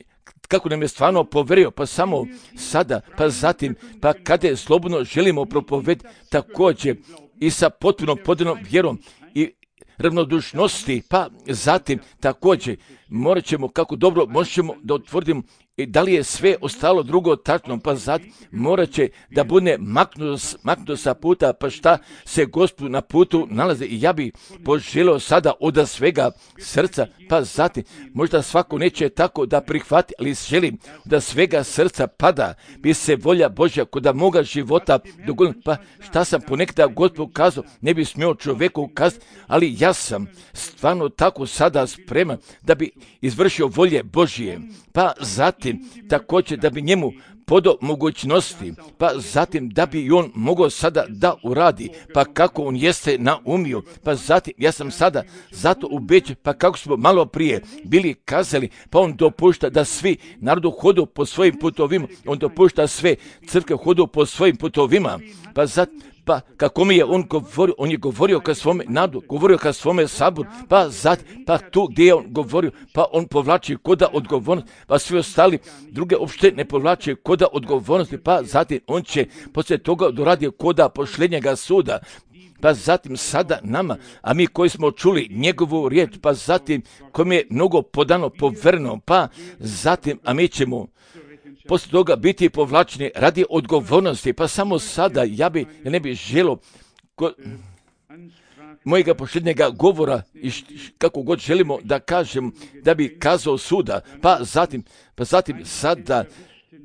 kako nam je stvarno poverio, pa samo sada, pa zatim, pa kada je slobodno želimo propovedati, također i sa potpunom podanom vjerom i ravnodušnosti, pa zatim također morat ćemo kako dobro možemo da utvrdimo i da li je sve ostalo drugo tačno, pa zatim morat će da bude maknuto, maknuto sa puta, pa šta se Gospodu na putu nalaze. I ja bih poželio sada od svega srca, pa zatim možda svako neće tako da prihvati, ali želim da svega srca pada, bi se volja Božja kod moga života dogodila. Pa šta sam ponekada Gospodu kazao, ne bi smio čovjeku kazati, ali ja sam stvarno tako sada spreman da bi izvršio volje Božje, pa zatim također da bi njemu podo mogućnosti, pa zatim da bi i on mogao sada da uradi, pa kako on jeste naumio, pa zatim ja sam sada zato ubeđen, pa kako smo malo prije bili kazali, pa on dopušta da svi narodu hodu po svojim putovima, on dopušta sve crkve hodu po svojim putovima, pa zatim pa kako mi je on govorio, on je govorio ka svome narodu, govorio ka svome saboru, pa zatim, pa tu gdje je on govorio, pa on povlači koda odgovornost, pa svi ostali druge uopšte ne povlače koda odgovornosti, pa zatim on će poslije toga doradi koda pošljenjega suda, pa zatim sada nama, a mi koji smo čuli njegovu riječ, pa zatim kome je mnogo podano, poverno, pa zatim, a mi ćemo poslije toga biti povlačeni radi odgovornosti, pa samo sada ja bi, ja ne bih želio ko, mojega posljednjega govora i š, kako god želimo da kažem, da bi kazao suda, pa zatim, pa zatim sada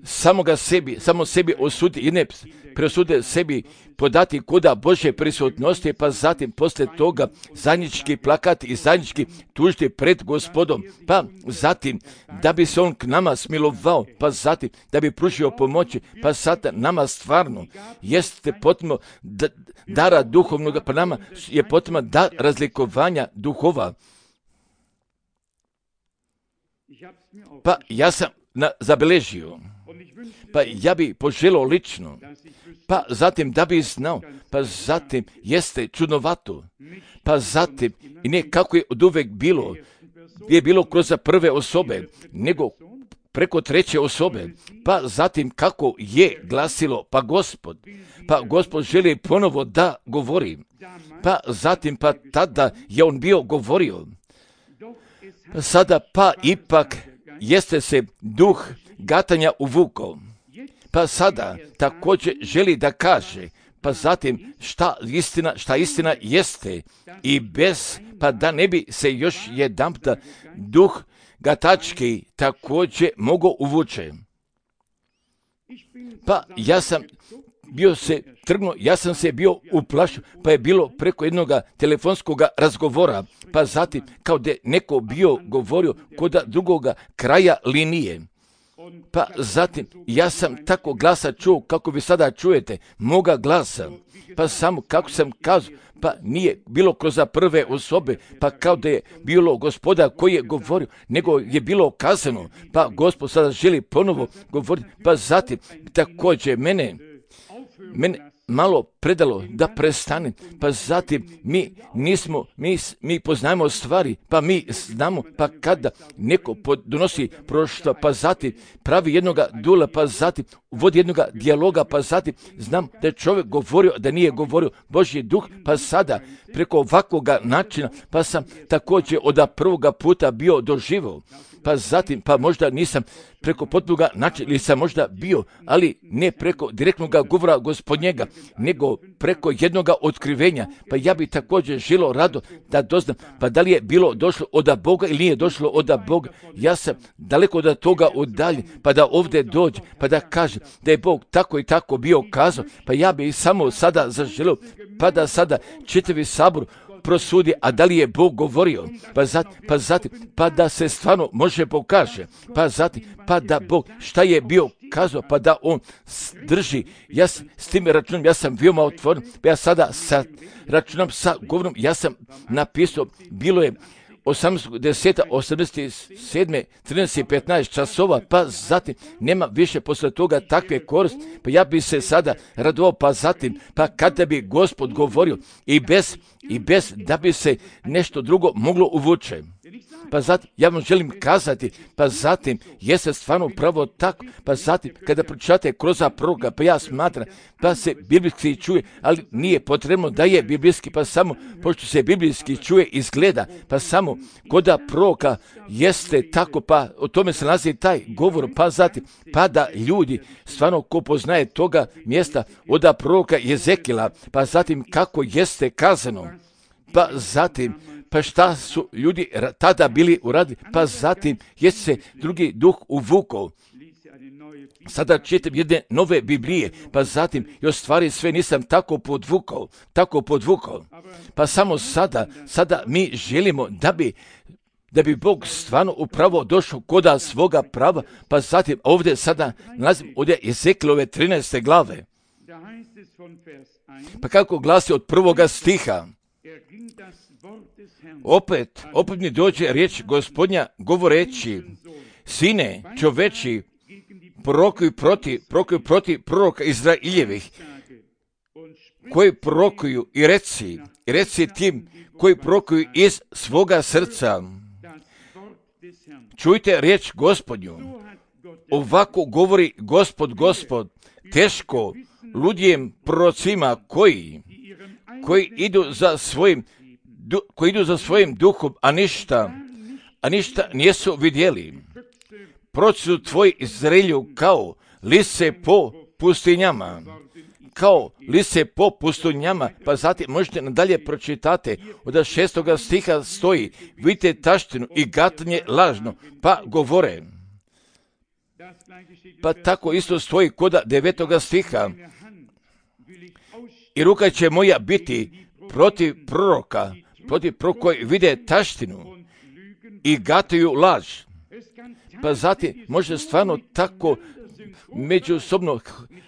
samoga sebi, samo sebi osudi i ne presude sebi podati koda Božje prisutnosti, pa zatim poslije toga zajednički plakati i zajednički tužiti pred Gospodom, pa zatim da bi se on k nama smilovao, pa zatim da bi pružio pomoći, pa sada nama stvarno jeste potrebno da, dara duhovnog, pa nama je potrebno da razlikovanja duhova. Pa ja sam na, zabeležio, pa ja bi poželio lično, pa zatim da bi znao, pa zatim jeste čudnovato, pa zatim i ne kako je od uvek bilo, je bilo kroz prve osobe, nego preko treće osobe, pa zatim kako je glasilo, pa Gospod, pa Gospod želi ponovo da govori, pa zatim pa tada je on bio govorio, pa sada pa ipak jeste se duh gatanja uvukao, pa sada također želi da kaže, pa zatim šta istina, šta istina jeste i bez, pa da ne bi se još jedanputa duh gatački također mogao uvuče. Pa ja sam bio se trgnuo, ja sam se bio uplašio, pa je bilo preko jednog telefonskog razgovora, pa zatim kao da neko bio govorio kod drugoga kraja linije. Pa zatim, ja sam tako glasa čuo, kako vi sada čujete, moga glasa, pa samo kako sam kazao, pa nije bilo kroz prve osobe, pa kao da je bilo Gospoda koji je govorio, nego je bilo kazano, pa Gospod sada želi ponovo govoriti, pa zatim također mene, mene malo predalo da prestane, pa zatim mi nismo, mi, mi poznajemo stvari, pa mi znamo, pa kada neko donosi prošlo, pa zatim pravi jednoga dula, pa zatim vodi jednoga dijaloga, pa zatim znam da je čovjek govorio, da nije govorio Božji duh, pa sada preko ovakvoga načina, pa sam također od prvoga puta bio doživio, pa zatim, pa možda nisam preko potpunoga načina, ili sam možda bio, ali ne preko direktnog govora Gospodnjega, nego preko jednoga otkrivenja, pa ja bi također želio rado da doznam, pa da li je bilo došlo od Boga ili nije došlo od Boga. Ja sam daleko od toga udaljen, pa da ovdje dođe, pa da kaže da je Bog tako i tako bio kazao, pa ja bi samo sada zaželio, pa da sada čitavi sabor prosudi, a da li je Bog govorio, pa zatim, pa zatim, pa da se stvarno može pokaže, pa zatim, pa da Bog šta je bio kazao, pa da on drži. Ja s, s tim računom, ja sam veoma otvoren, pa ja sada sa računom, sa govorom, ja sam napisao, bilo je osamnaestog desetog osamdeset sedme trinaest i petnaest časova, pa zatim nema više posle toga takve koristi, pa ja bi se sada radovao, pa zatim, pa kada bi Gospod govorio i bez, i bez da bi se nešto drugo moglo uvuče. Pa zatim, ja vam želim kazati, pa zatim, jeste stvarno pravo tako, pa zatim, kada pročitate kroz proroka, pa ja smatram, pa se biblijski čuje, ali nije potrebno da je biblijski, pa samo, pošto se biblijski čuje, izgleda, pa samo kod proroka jeste tako, pa o tome se nalazi taj govor, pa zatim, pa da ljudi, stvarno ko poznaje toga mjesta od proroka Jezekila, pa zatim kako jeste kazano, pa zatim, pa šta su ljudi tada bili uradili, pa zatim je se drugi duh uvukao. Sada čitam jedne nove Biblije, pa zatim još stvari sve nisam tako podvukao, tako podvukao. Pa samo sada, sada mi želimo da bi da bi Bog stvarno upravo došao koda svoga prava, pa zatim ovdje sada nalazim ovdje Ezekilove trinaeste glave. Pa kako glasi od prvoga stiha, opet, opet mi dođe riječ Gospodnja govoreći, sine čoveči, prorokuj protiv, prorokuj protiv proroka Izraeljevih, koji prorokuju i reci, i reci tim koji prorokuju iz svoga srca. Čujte riječ Gospodnju, ovako govori Gospod, Gospod, teško ludjem prorocima koji, koji idu za svojim Du, koji idu za svojim duhom, a ništa, a ništa nisu vidjeli. Proći su tvoji Izraelju kao lise po pustinjama, kao lise po pustinjama, pa zatim možete nadalje pročitate, od šestoga stiha stoji, vidite taštinu i gatanje lažno, pa govore. Pa tako isto stoji koda devetoga stiha, i ruka će moja biti protiv proroka, protiv proroka koji vide taštinu i gataju laž. Pa zatim može stvarno tako međusobno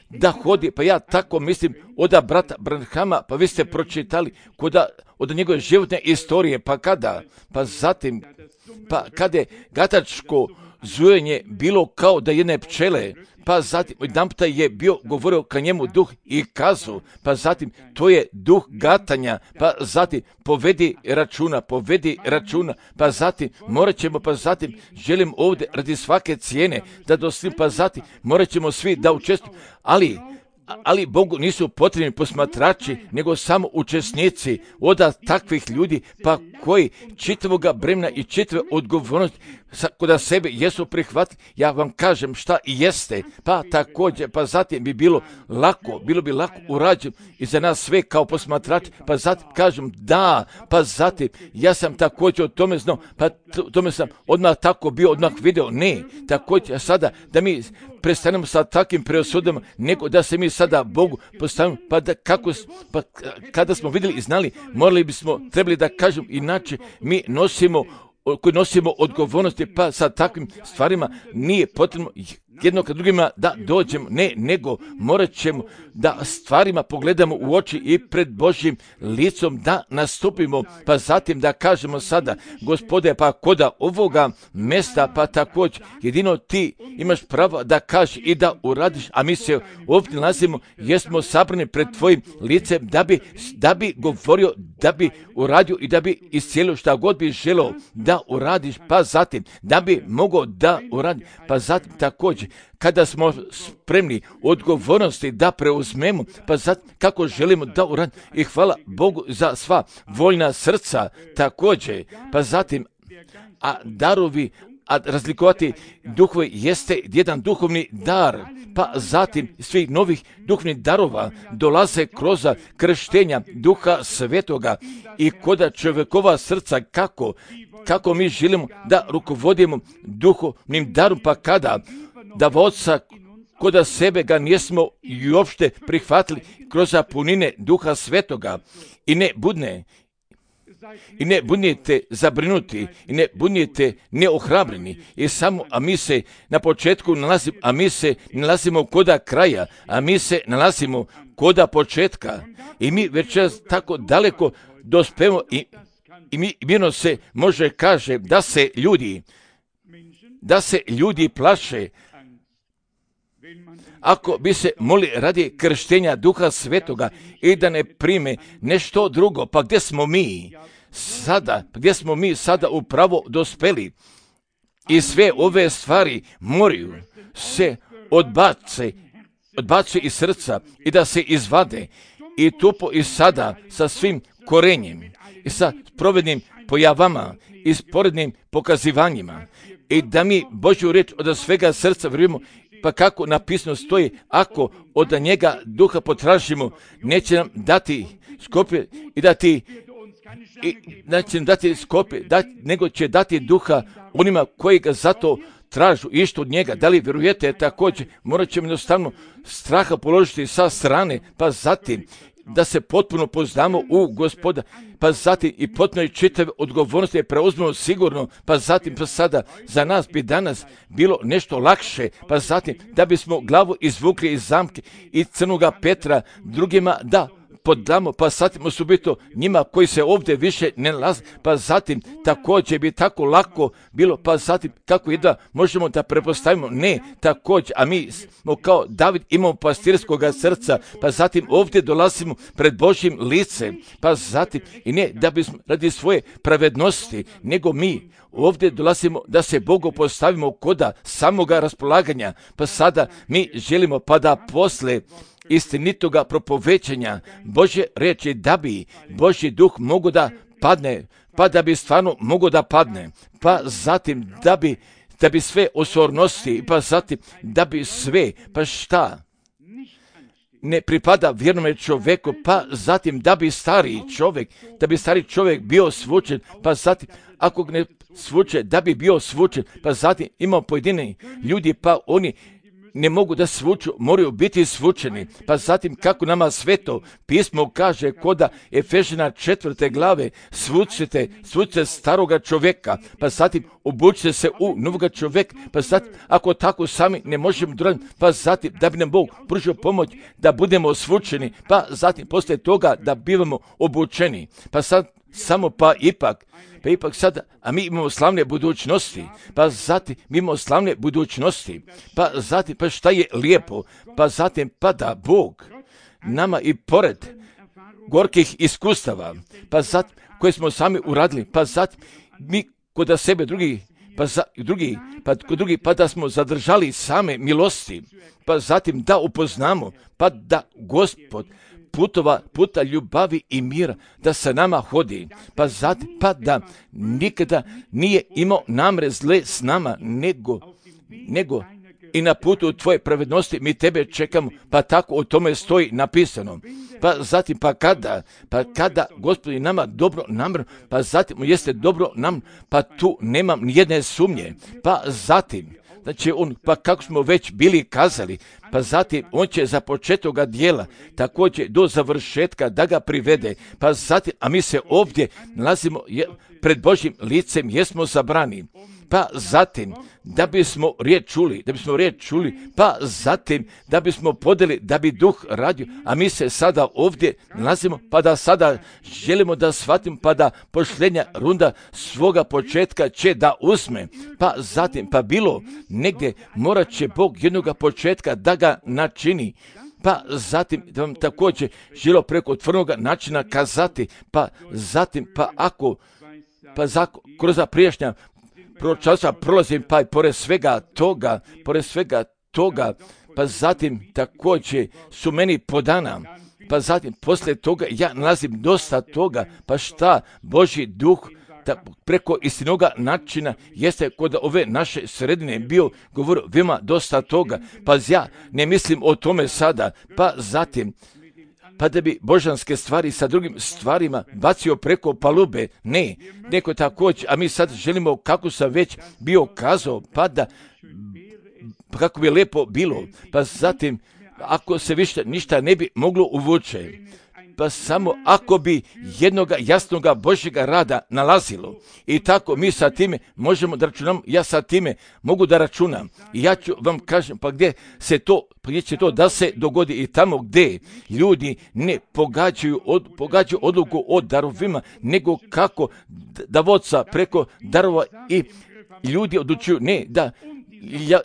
da hodi, pa ja tako mislim od brata Branhama, pa vi ste pročitali koda, od njegove životne istorije, pa kada, pa zatim, pa kada je gatačko zujenje bilo kao da jedne pčele, pa zatim jedanputa je bio govorio ka njemu duh i kazao, pa zatim to je duh gatanja, pa zatim povedi računa, povedi računa, pa zatim morat ćemo, pa zatim želim ovdje radi svake cijene da doslim, pa zatim morat ćemo svi da učestvujemo, ali ali Bogu nisu potrebni posmatrači, nego samo učesnici od takvih ljudi, pa koji čitavoga bremena i čitave odgovornosti kod sebe jesu prihvatili. Ja vam kažem šta i jeste, pa također, pa zatim bi bilo lako, bilo bi lako urađeno i za nas sve kao posmatrači, pa zatim kažem da, pa zatim ja sam također o tome znao, pa tome sam odmah tako bio, odmah video, ne, također sada da mi prestanemo sa takvim preosudama, nego da se mi sada Bogu postavimo, pa da kako, pa kada smo vidjeli i znali, morali bismo, trebali da kažem, inače mi nosimo koji nosimo odgovornosti, pa sa takvim stvarima nije potrebno jedno kad drugima da dođemo, ne, nego morat ćemo da stvarima pogledamo u oči i pred Božjim licom da nastupimo, pa zatim da kažemo sada, Gospode, pa koda ovoga mesta, pa također jedino ti imaš pravo da kažeš i da uradiš, a mi se ovdje nalazimo, jesmo sabrani pred tvojim licem da bi, da bi govorio, da bi uradio i da bi iscijelio šta god bi želeo da uradiš, pa zatim da bi mogao da uradi, pa zatim također kada smo spremni odgovornosti da preuzmemo, pa zatim kako želimo da uradimo i hvala Bogu za sva voljna srca također, pa zatim a darovi, a razlikovati duhovi jeste jedan duhovni dar, pa zatim svih novih duhovnih darova dolaze kroz krštenja Duha Svetoga i koda čovjekova srca kako, kako mi želimo da rukovodimo duhovnim darom, pa kada da vodca koda sebe ga nismo i uopšte prihvatili kroz punine Duha Svetoga i ne budne i ne budnete zabrinuti i ne budnete neohrabreni i samo, a mi se na početku nalazimo, a mi se nalazimo koda kraja, a mi se nalazimo koda početka i mi večeras tako daleko dospemo i, i mi mirno se može kaže da se ljudi da se ljudi plaše ako bi se moli radi krštenja Duha Svetoga i da ne prime nešto drugo, pa gdje smo mi sada, gdje smo mi sada upravo dospeli i sve ove stvari moraju se odbace, odbace iz srca i da se izvade i tupo i sada sa svim korenjem i sa provednim pojavama i sporednim pokazivanjima i da mi Božju riječ od svega srca vjerujemo. Pa kako napisano stoji, ako od njega duha potražimo, neće nam dati skope i dati, i, neće nam dati skope, dati, nego će dati duha onima koji ga zato tražu išto od njega. Da li vjerujete također, morat ćemo jednostavno straha položiti sa strane, pa zatim da se potpuno poznamo u Gospoda, pa zatim i potpuno i čitave odgovornosti preuzmemo sigurno, pa zatim pa sada za nas bi danas bilo nešto lakše, pa zatim da bismo glavu izvukli iz zamke i crnoga Petra drugima da podamo, pa zatim osobito njima koji se ovdje više ne nalaze, pa zatim također bi tako lako bilo, pa zatim kako jedva možemo da prepostavimo, ne također, a mi smo kao David imamo pastirskoga srca, pa zatim ovdje dolazimo pred Božjim licem, pa zatim i ne da bismo radi svoje pravednosti, nego mi ovdje dolazimo da se Bogu postavimo koda samoga raspolaganja, pa sada mi želimo pa da posle istinitoga propovećanja Božje riječi da bi Božji duh mogo da padne, pa da bi stvarno mogo da padne, pa zatim da bi, da bi sve osornosti, pa zatim da bi sve, pa šta ne pripada vjernome čovjeku, pa zatim da bi stari čovjek, da bi stari čovjek bio svučen, pa zatim ako ne svuče, da bi bio svučen, pa zatim imamo pojedini ljudi, pa oni ne mogu da svuču, moraju biti svučeni. Pa zatim kako nama sveto pismo kaže koda Efežina četvrte glave, svučite, svučite staroga čovjeka, pa zatim obučite se u novoga čovjeka, pa zatim ako tako sami ne možemo doraditi, pa zatim da bi nam Bog pružio pomoć da budemo svučeni, pa zatim poslije toga da bivamo obučeni. Pa sad samo pa ipak, pa ipak sada, a mi imamo slavne budućnosti, pa zatim mi imamo slavne budućnosti, pa zatim pa šta je lijepo, pa zatim pa da Bog nama i pored gorkih iskustava, pa zatim koje smo sami uradili, pa zatim mi kod sebe drugi, pa za, drugi, pa kod drugi, pa da smo zadržali same milosti, pa zatim da upoznamo, pa da Gospod putova, puta ljubavi i mira, da sa nama hodi, pa zatim, pa da nikada nije imao namre zle s nama, nego, nego i na putu tvoje pravednosti mi tebe čekamo, pa tako o tome stoji napisano. Pa zatim, pa kada, pa kada Gospodi nama dobro namre, pa zatim jeste dobro nam, pa tu nemam nijedne sumnje, pa zatim, znači on, pa kako smo već bili kazali, pa zatim on će za početoga dijela također do završetka da ga privede, pa zatim, a mi se ovdje nalazimo je, pred Božjim licem jesmo zabrani, pa zatim da bismo riječ čuli, da bismo riječ čuli, pa zatim da bismo podeli, da bi duh radio, a mi se sada ovdje nalazimo, pa da sada želimo da shvatimo, pa da posljednja runda svoga početka će da uzme, pa zatim, pa bilo negdje morat će Bog jednoga početka da ga načini, pa zatim da vam također želo preko otvorenoga načina kazati, pa zatim, pa ako, pa zako, kroz prijašnja proročanstva prolazim, pa i pored svega toga, pored svega toga, pa zatim također su meni podana, pa zatim poslije toga ja nalazim dosta toga, pa šta Božji duh da preko istinoga načina jeste kod ove naše sredine bio govorio vima dosta toga, pa ja ne mislim o tome sada, pa zatim pa da bi božanske stvari sa drugim stvarima bacio preko palube, ne, neko također, a mi sad želimo, kako sam već bio kazao, pa da, pa kako bi lijepo bilo, pa zatim, ako se više ništa ne bi moglo uvuče, pa samo ako bi jednoga jasnoga Božjega rada nalazilo. I tako mi sa time možemo da računamo, ja sa time mogu da računam. I ja ću vam kažem, pa gdje se to, pa gdje će to da se dogodi i tamo gdje ljudi ne pogađaju, od, pogađaju odluku o darovima, nego kako da vodca preko darova i ljudi odlučuju, ne, da,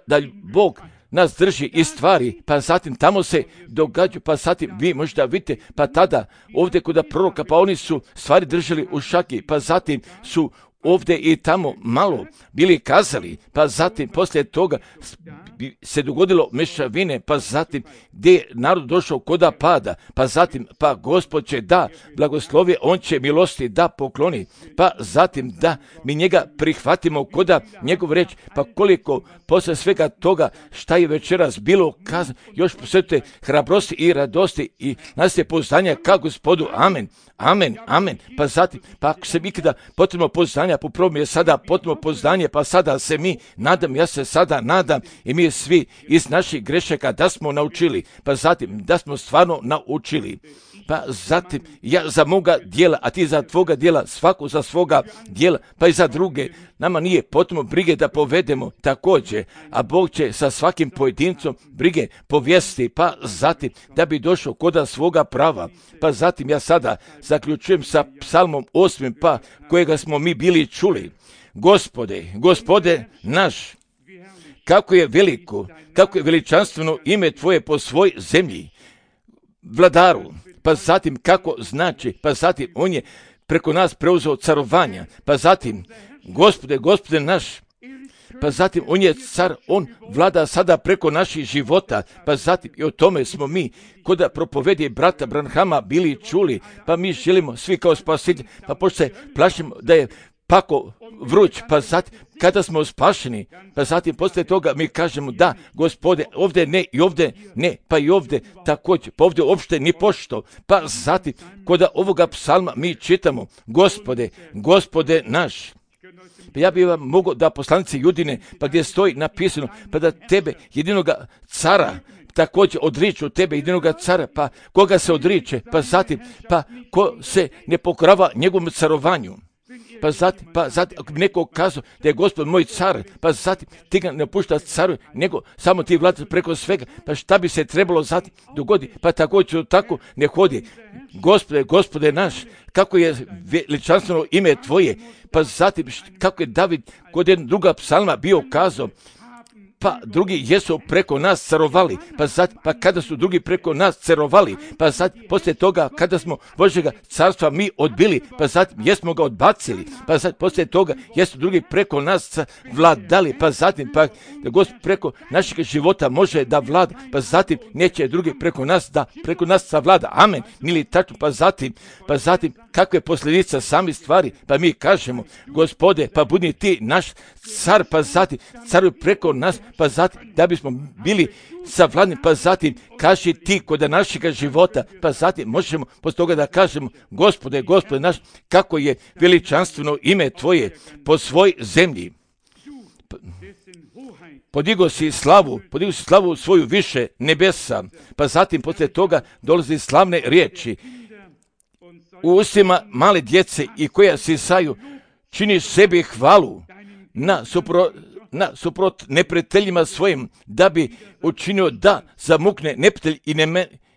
da Bog nas drži i stvari, pa zatim tamo se događaju, pa zatim vi možda vidite, pa tada ovdje kod proroka, pa oni su stvari držali u šaki, pa zatim su ovdje i tamo malo bili kazali, pa zatim poslije toga se dogodilo mešavine, pa zatim gdje je narod došao koda pada, pa zatim pa Gospod će da blagoslovi, on će milosti da pokloni, pa zatim da mi njega prihvatimo koda njegov reč, pa koliko posle svega toga šta je večeras bilo kazano, još posvetite hrabrosti i radosti i nas je poznanja ka Gospodu, amen, amen, amen, pa zatim, pa ako se ikada potrebno poznanja, po prvom je sada potrebno poznanje, pa sada se mi nadam, ja se sada nadam i mi svi iz naših grešaka da smo naučili, pa zatim da smo stvarno naučili, pa zatim ja za moga dijela, a ti za tvoga dijela, svako za svoga dijela, pa i za druge. Nama nije potrebno brige da povedemo također, a Bog će sa svakim pojedincom brige povijesti, pa zatim da bi došao koda svoga prava. Pa zatim ja sada zaključujem sa psalmom osmim, pa kojega smo mi bili čuli. Gospode, Gospode naš, kako je veliko, kako je veličanstveno ime Tvoje po svoj zemlji, vladaru, pa zatim kako znači, pa zatim on je preko nas preuzeo carovanja, pa zatim, Gospode, Gospode naš, pa zatim on je car, on vlada sada preko naših života, pa zatim i o tome smo mi kod propovedi brata Branhama bili čuli, pa mi želimo svi kao spasitelji, pa pošto se plašimo da je pako vruć, pa zatim kada smo spašeni, pa zatim poslije toga mi kažemo da, Gospode, ovdje ne i ovdje ne, pa i ovdje također, pa ovdje uopšte ni pošto, pa zatim kod ovoga psalma mi čitamo, Gospode, Gospode naš. Pa ja bih vam mogao da poslanici Judine, pa gdje stoji napisano, pa da tebe jedinoga cara, također odriču tebe jedinoga cara, pa koga se odriče, pa zatim, pa ko se ne pokorava njegovom carovanju. Pa zatim, pa zatim, ako bi neko kazao da je Gospod moj car, pa zatim ti ga ne pušta caru, nego samo ti vladaš preko svega, pa šta bi se trebalo zatim dogodi, pa također tako ne hodi. Gospode, Gospode naš, kako je veličanstveno ime Tvoje, pa zatim kako je David kod jedna druga psalma bio kazao, pa drugi jesu preko nas carovali, pa zatim, pa kada su drugi preko nas carovali, pa zatim, poslije toga, kada smo Božjega carstva mi odbili, pa zatim, jesmo ga odbacili, pa zatim, poslije toga, jesu drugi preko nas vladali, pa zatim, pa da Gospod preko našeg života može da vlada, pa zatim, neće drugi preko nas da preko nas savlada, amen, nili tačno, pa zatim, pa zatim, kakve posljedica sami stvari, pa mi kažemo, Gospode, pa budi ti naš car, pa zatim, caruj preko nas, pa zatim, da bismo bili savladni, pa zatim, kaži ti kod našega života, pa zatim, možemo posle toga da kažemo, Gospode, Gospode naš, kako je veličanstveno ime Tvoje po svoj zemlji. Podigo si slavu, podigo si slavu svoju više nebesa, pa zatim, posle toga, dolazi slavne riječi, u ustima male djece i koja sisaju, činiš sebi hvalu, na supro, na suprot neprijateljima svojim, da bi učinio da zamukne neprijatelj i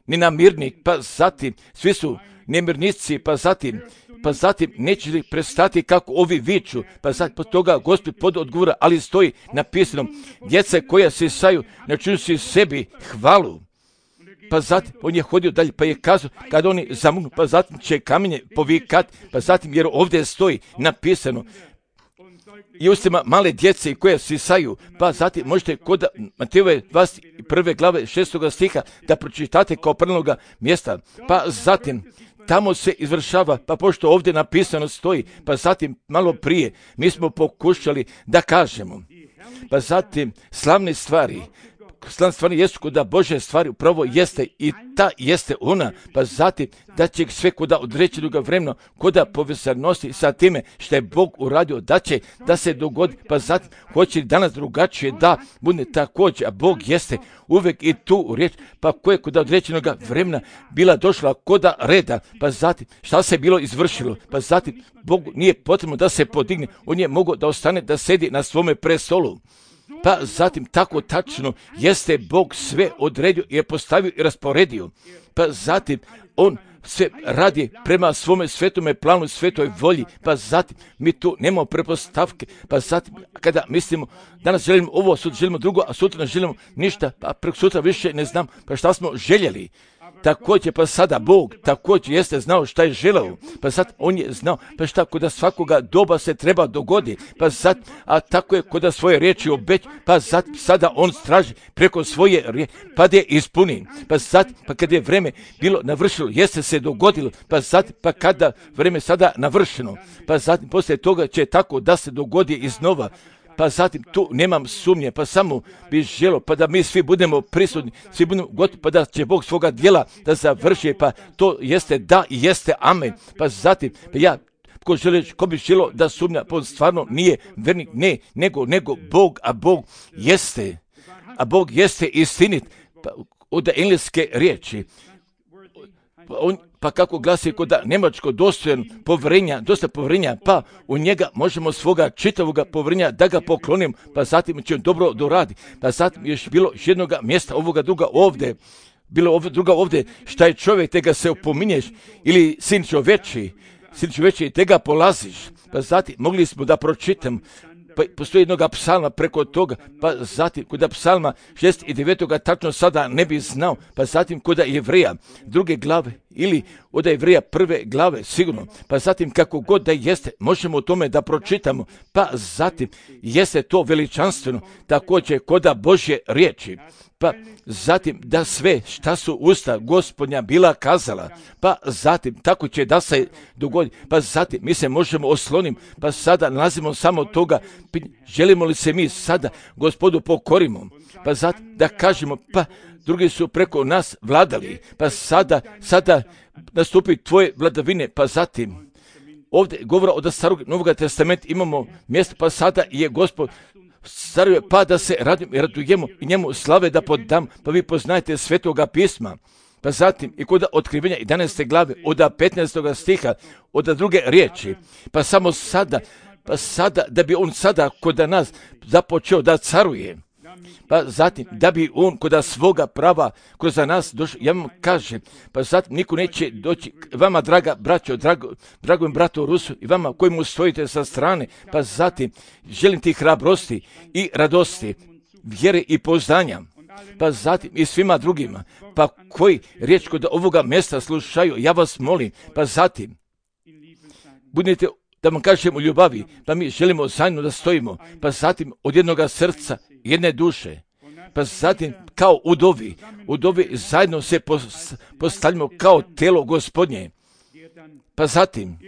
nenamirnik, pa zatim svi su nemirnici, pa zatim pa zatim neće li prestati kako ovi viču, pa zatim pod toga Gospod pod odgovora, ali stoji napisano, djeca koja sisaju, načinu si sebi hvalu. Pa zatim on je hodio dalje, pa je kazao, kad oni zamuknu, pa zatim će kamenje povikati, pa zatim jer ovdje stoji napisano, i ustima male djece koje sisaju, pa zatim možete kod Matejove dvadeset prve glave šestoga stiha da pročitate kao prvoga mjesta, pa zatim tamo se izvršava, pa pošto ovdje napisano stoji, pa zatim malo prije mi smo pokušali da kažemo, pa zatim slavne stvari, slavne stvari jesu kuda Bože stvari upravo jeste i ta jeste ona, pa zatim da će sve kuda određenog vremena, kuda povezanosti sa time što je Bog uradio, da će da se dogodi, pa zatim hoće li danas drugačije da bude također, a Bog jeste uvijek i tu riječ, pa koje kuda određenog vremena bila došla kuda reda, pa zatim šta se bilo izvršilo, pa zatim Bogu nije potrebno da se podigne, on je mogao da ostane da sedi na svome prestolu. Pa zatim tako tačno jeste Bog sve odredio i je postavio i rasporedio. Pa zatim on sve radi prema svome svetome planu, svetoj volji. Pa zatim mi tu nemamo prepostavke. Pa zatim kada mislimo danas želimo ovo, sutra želimo drugo, a sutra ne želimo ništa, pa preko sutra više ne znam pa šta smo željeli. Također pa sada Bog također jeste znao šta je želeo, pa sad on je znao pa šta kod svakoga doba se treba dogodi, pa sad, a tako je kod svoje riječi obeć, pa sad, sada on straži preko svoje riječi, pa da je ispuni, pa sad, pa kada je vreme bilo navršilo, jeste se dogodilo, pa sad, pa kada vreme sada navršeno, pa zatim poslije toga će tako da se dogodi iznova. Pa zatim tu nemam sumnje, pa samo bi želio, pa da mi svi budemo prisutni, svi budemo gotovi, pa da će Bog svoga djela da završi, pa to jeste da i jeste amen. Pa zatim, pa ja, ko, želi, ko bi želio da sumnja, pa on stvarno nije vernik, ne, nego, nego Bog, a Bog jeste, a Bog jeste istinit, pa od engleske riječi, pa on, pa kako glasi kod njemačko dostojan povjerenja, dosta povjerenja, pa u njega možemo svoga čitavoga povjerenja da ga poklonim, pa zatim će on dobro doradi. Pa zatim još bilo jednog mjesta, ovoga druga ovdje, bilo ovdje, druga ovdje, šta je čovjek, te ga se opominješ, ili sin čoveči, sin čoveči, te ga polaziš. Pa zatim mogli smo da pročitam, pa postoji jednoga psalma preko toga, pa zatim kod psalma šest i devet tačno sada ne bi znao, pa zatim kod Jevreja druge glave ili od Jevreja prve glave sigurno, pa zatim kako god da jeste, možemo o tome da pročitamo, pa zatim jeste to veličanstveno, također kod Božje riječi, pa zatim da sve šta su usta Gospodnja bila kazala, pa zatim tako će da se dogodi, pa zatim mi se možemo oslonim, pa sada nalazimo samo toga, želimo li se mi sada Gospodu pokorimo, pa zatim da kažemo, pa drugi su preko nas vladali, pa sada, sada nastupi tvoje vladavine, pa zatim ovdje govora od starog Novog testamenta imamo mjesto, pa sada je Gospod staruje, pa da se radimo i radujemo i njemu slave da podam, pa vi poznajete svetoga pisma. Pa zatim i kod otkrivenja jedanaeste glave, od petnaestog stiha, od druge riječi, pa samo sada, pa sada, da bi on sada kod nas započeo da caruje. Pa zatim, da bi on kod svoga prava kroz nas došao, ja vam kažem, pa zatim niko neće doći, vama draga braćo, drago, dragom bratu Rusu i vama koji mu stojite sa strane, pa zatim želim ti hrabrosti i radosti, vjere i pouzdanja, pa zatim i svima drugima, pa koji riječ kod ovoga mjesta slušaju, ja vas molim, pa zatim budite, da vam kažem u ljubavi, pa mi želimo zajedno da stojimo, pa zatim od jednoga srca, jedne duše, pa zatim kao udovi, udovi zajedno se postavljamo kao telo Gospodnje, pa zatim,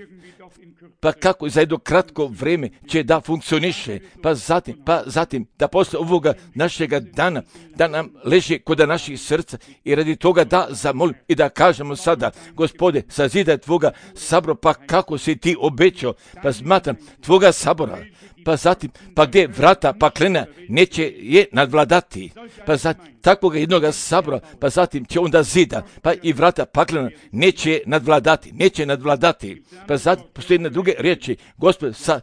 pa kako za jedno kratko vrijeme će da funkcioniše, pa zatim, pa zatim da posle ovoga našega dana, da nam leži kod naših srca i radi toga da zamolim i da kažemo sada, Gospode, sazidaj tvoga sabora, pa kako si ti obećao, pa smatram tvoga sabora, pa zatim, pa gdje vrata paklena neće je nadvladati, pa zatim takvoga jednoga sabora, pa zatim će onda zida, pa i vrata paklena neće nadvladati, neće nadvladati, pa zatim postoji jedne druge riječi, Gospod, sa,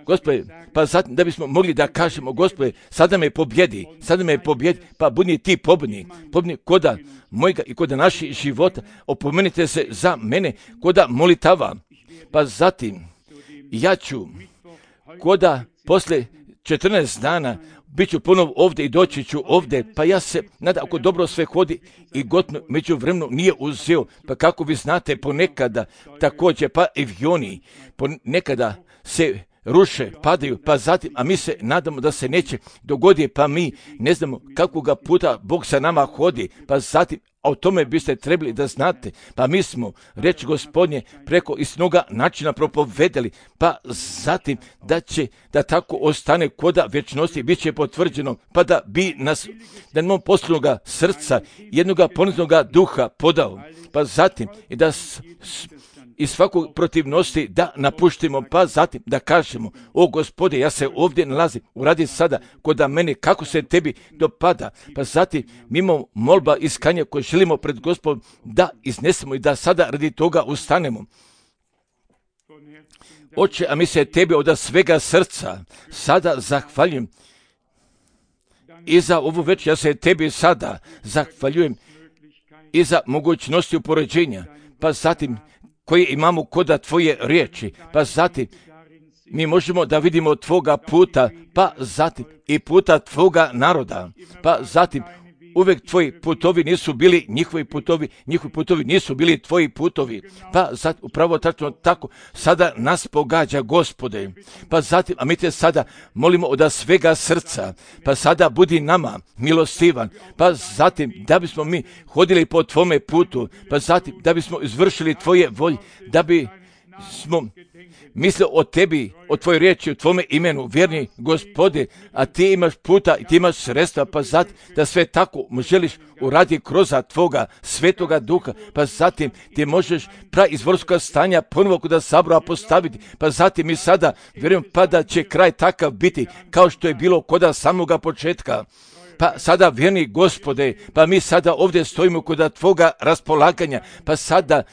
Gospode, pa zatim da bismo mogli da kažemo, Gospode, sada me pobjedi, sada me pobjedi, pa budi ti pobjednik, pobjednik koda mojega i koda naših života, opomenite se za mene, koda molitava, pa zatim ja ću, koda posle četrnaest dana, bit ću ponovo ovdje i doći ću ovdje, pa ja se nadam ako dobro sve hodi i gotno među vremenu nije uzeo, pa kako vi znate ponekada također, pa avioni ponekada se ruše, padaju, pa zatim, a mi se nadamo da se neće dogoditi, pa mi ne znamo kakvoga puta Bog sa nama hodi, pa zatim, a o tome biste trebali da znate, pa mi smo reč Gospodnje preko istinoga načina propovedali, pa zatim da će, da tako ostane koda vječnosti, bit će potvrđeno, pa da bi nas, da nam poslovnoga srca, jednoga poniznoga duha podao, pa zatim i da s, s, i svakog protivnosti da napuštimo, pa zatim da kažemo, o Gospode, ja se ovdje nalazim, uradi sada koda mene, kako se tebi dopada, pa zatim mimo molba iskanja koje želimo pred Gospodom da iznesemo i da sada radi toga ustanemo. Oče, a mi se tebi od svega srca sada zahvaljujem i za ovu večer, ja se tebi sada zahvaljujem i za mogućnosti upoređenja, pa zatim koje imamo koda tvoje riječi, pa zatim mi možemo da vidimo tvoga puta, pa zatim i puta tvoga naroda, pa zatim uvijek tvoji putovi nisu bili njihovi putovi, njihovi putovi nisu bili tvoji putovi, pa zatim upravo tačno tako sada nas pogađa, Gospode, pa zatim, a mi te sada molimo od svega srca, pa sada budi nama milostivan, pa zatim da bismo mi hodili po tvome putu, pa zatim da bismo izvršili tvoje volje, da bi smo mislili o tebi, o tvojoj riječi, o tvome imenu, vjerni Gospode, a ti imaš puta i ti imaš sredstva, pa zatim da sve tako želiš uradi kroz tvoga svetoga duha, pa zatim ti možeš prav izvorskoga stanja ponovo kod sabora postaviti, pa zatim mi sada vjerujem pa da će kraj takav biti kao što je bilo kod samoga početka. Pa sada, vjerni Gospode, pa mi sada ovdje stojimo kod tvoga raspolaganja, pa sada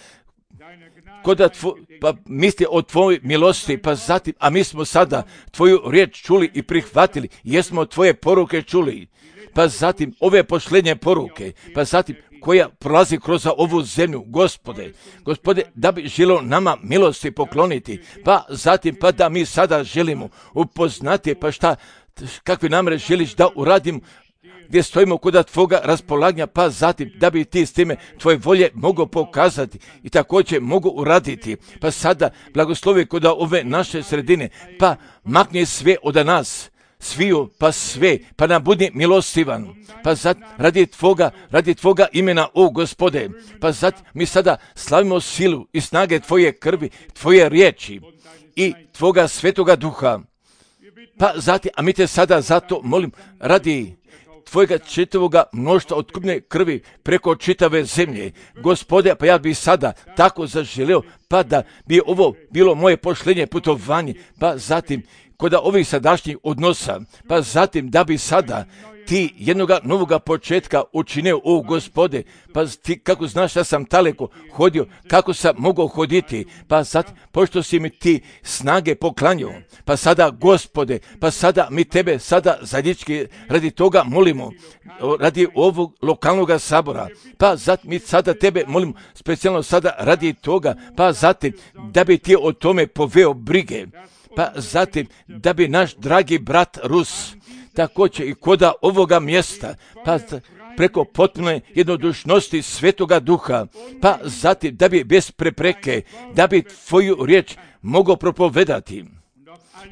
koda tvo, pa misli o tvojoj milosti, pa zatim, a mi smo sada tvoju riječ čuli i prihvatili, jesmo tvoje poruke čuli, pa zatim ove posljednje poruke, pa zatim koja prolazi kroz ovu zemlju, Gospode, Gospode, da bi želio nama milosti pokloniti, pa zatim, pa da mi sada želimo upoznati, pa šta, kakve namere želiš da uradim, gdje stojimo kod tvoga raspolaganja, pa zatim da bi ti s time tvoje volje mogo pokazati i također mogu uraditi. Pa sada blagoslovi kod ove naše sredine, pa makni sve od nas, sviju, pa sve, pa nam budi milostivan, pa zatim radi tvoga, radi tvoga imena, o Gospode, pa zatim mi sada slavimo silu i snage tvoje krvi, tvoje riječi i tvoga svetoga duha, pa zatim, a mi te sada zato molim, radi tvojega čitavoga mnoštva otkupne krvi preko čitave zemlje. Gospode, pa ja bih sada tako zaželio, pa da bi ovo bilo moje posljednje putovanje, pa zatim kod ovih sadašnjih odnosa, pa zatim da bi sada ti jednoga novoga početka učinio, o Gospode, pa ti kako znaš da sam daleko hodio, kako sam mogao hoditi, pa sad, pošto si mi ti snage poklanjao, pa sada, Gospode, pa sada mi tebe sada zajednički radi toga molimo, radi ovog lokalnog sabora, pa zatim mi sada tebe molimo specijalno sada radi toga, pa zatim da bi ti o tome poveo brige, pa zatim da bi naš dragi brat Rus također i koda ovoga mjesta, pa preko potpune jednodušnosti svetoga duha, pa zatim da bi bez prepreke, da bi tvoju riječ mogao propovedati,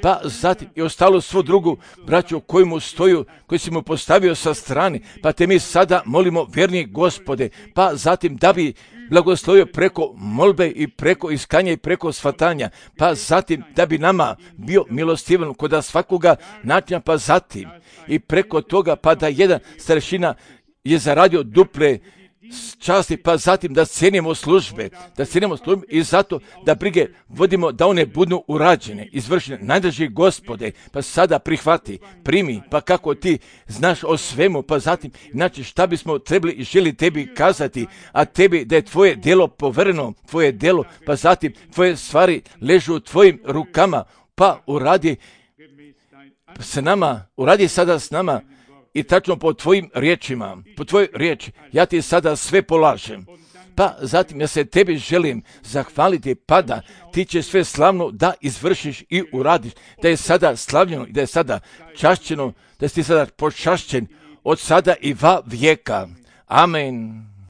pa zatim i ostalo svo drugu braću koji mu stoju, koji si mu postavio sa strane, pa te mi sada molimo, vjerni Gospode, pa zatim da bi blagoslovio preko molbe i preko iskanja i preko shvatanja, pa zatim da bi nama bio milostivan kod svakoga načina, pa zatim i preko toga pa da jedan starešina je zaradio duple časti, pa zatim da cijenimo službe, da cijenimo službe i zato da brige vodimo da one budu urađene, izvršene. Najdraži Gospode, pa sada prihvati, primi, pa kako ti znaš o svemu, pa zatim, znači šta bismo trebali i želi tebi kazati, a tebi da je tvoje djelo povereno, tvoje djelo, pa zatim tvoje stvari ležu u tvojim rukama, pa uradi s nama, uradi sada s nama i tačno po tvojim riječima, po tvojoj riječi, ja ti sada sve polažem. Pa zatim ja se tebi želim zahvaliti, pa da ti će sve slavno da izvršiš i uradiš, da je sada slavljeno i da je sada čašćeno, da si ti sada počašćen od sada i va vijeka. Amen.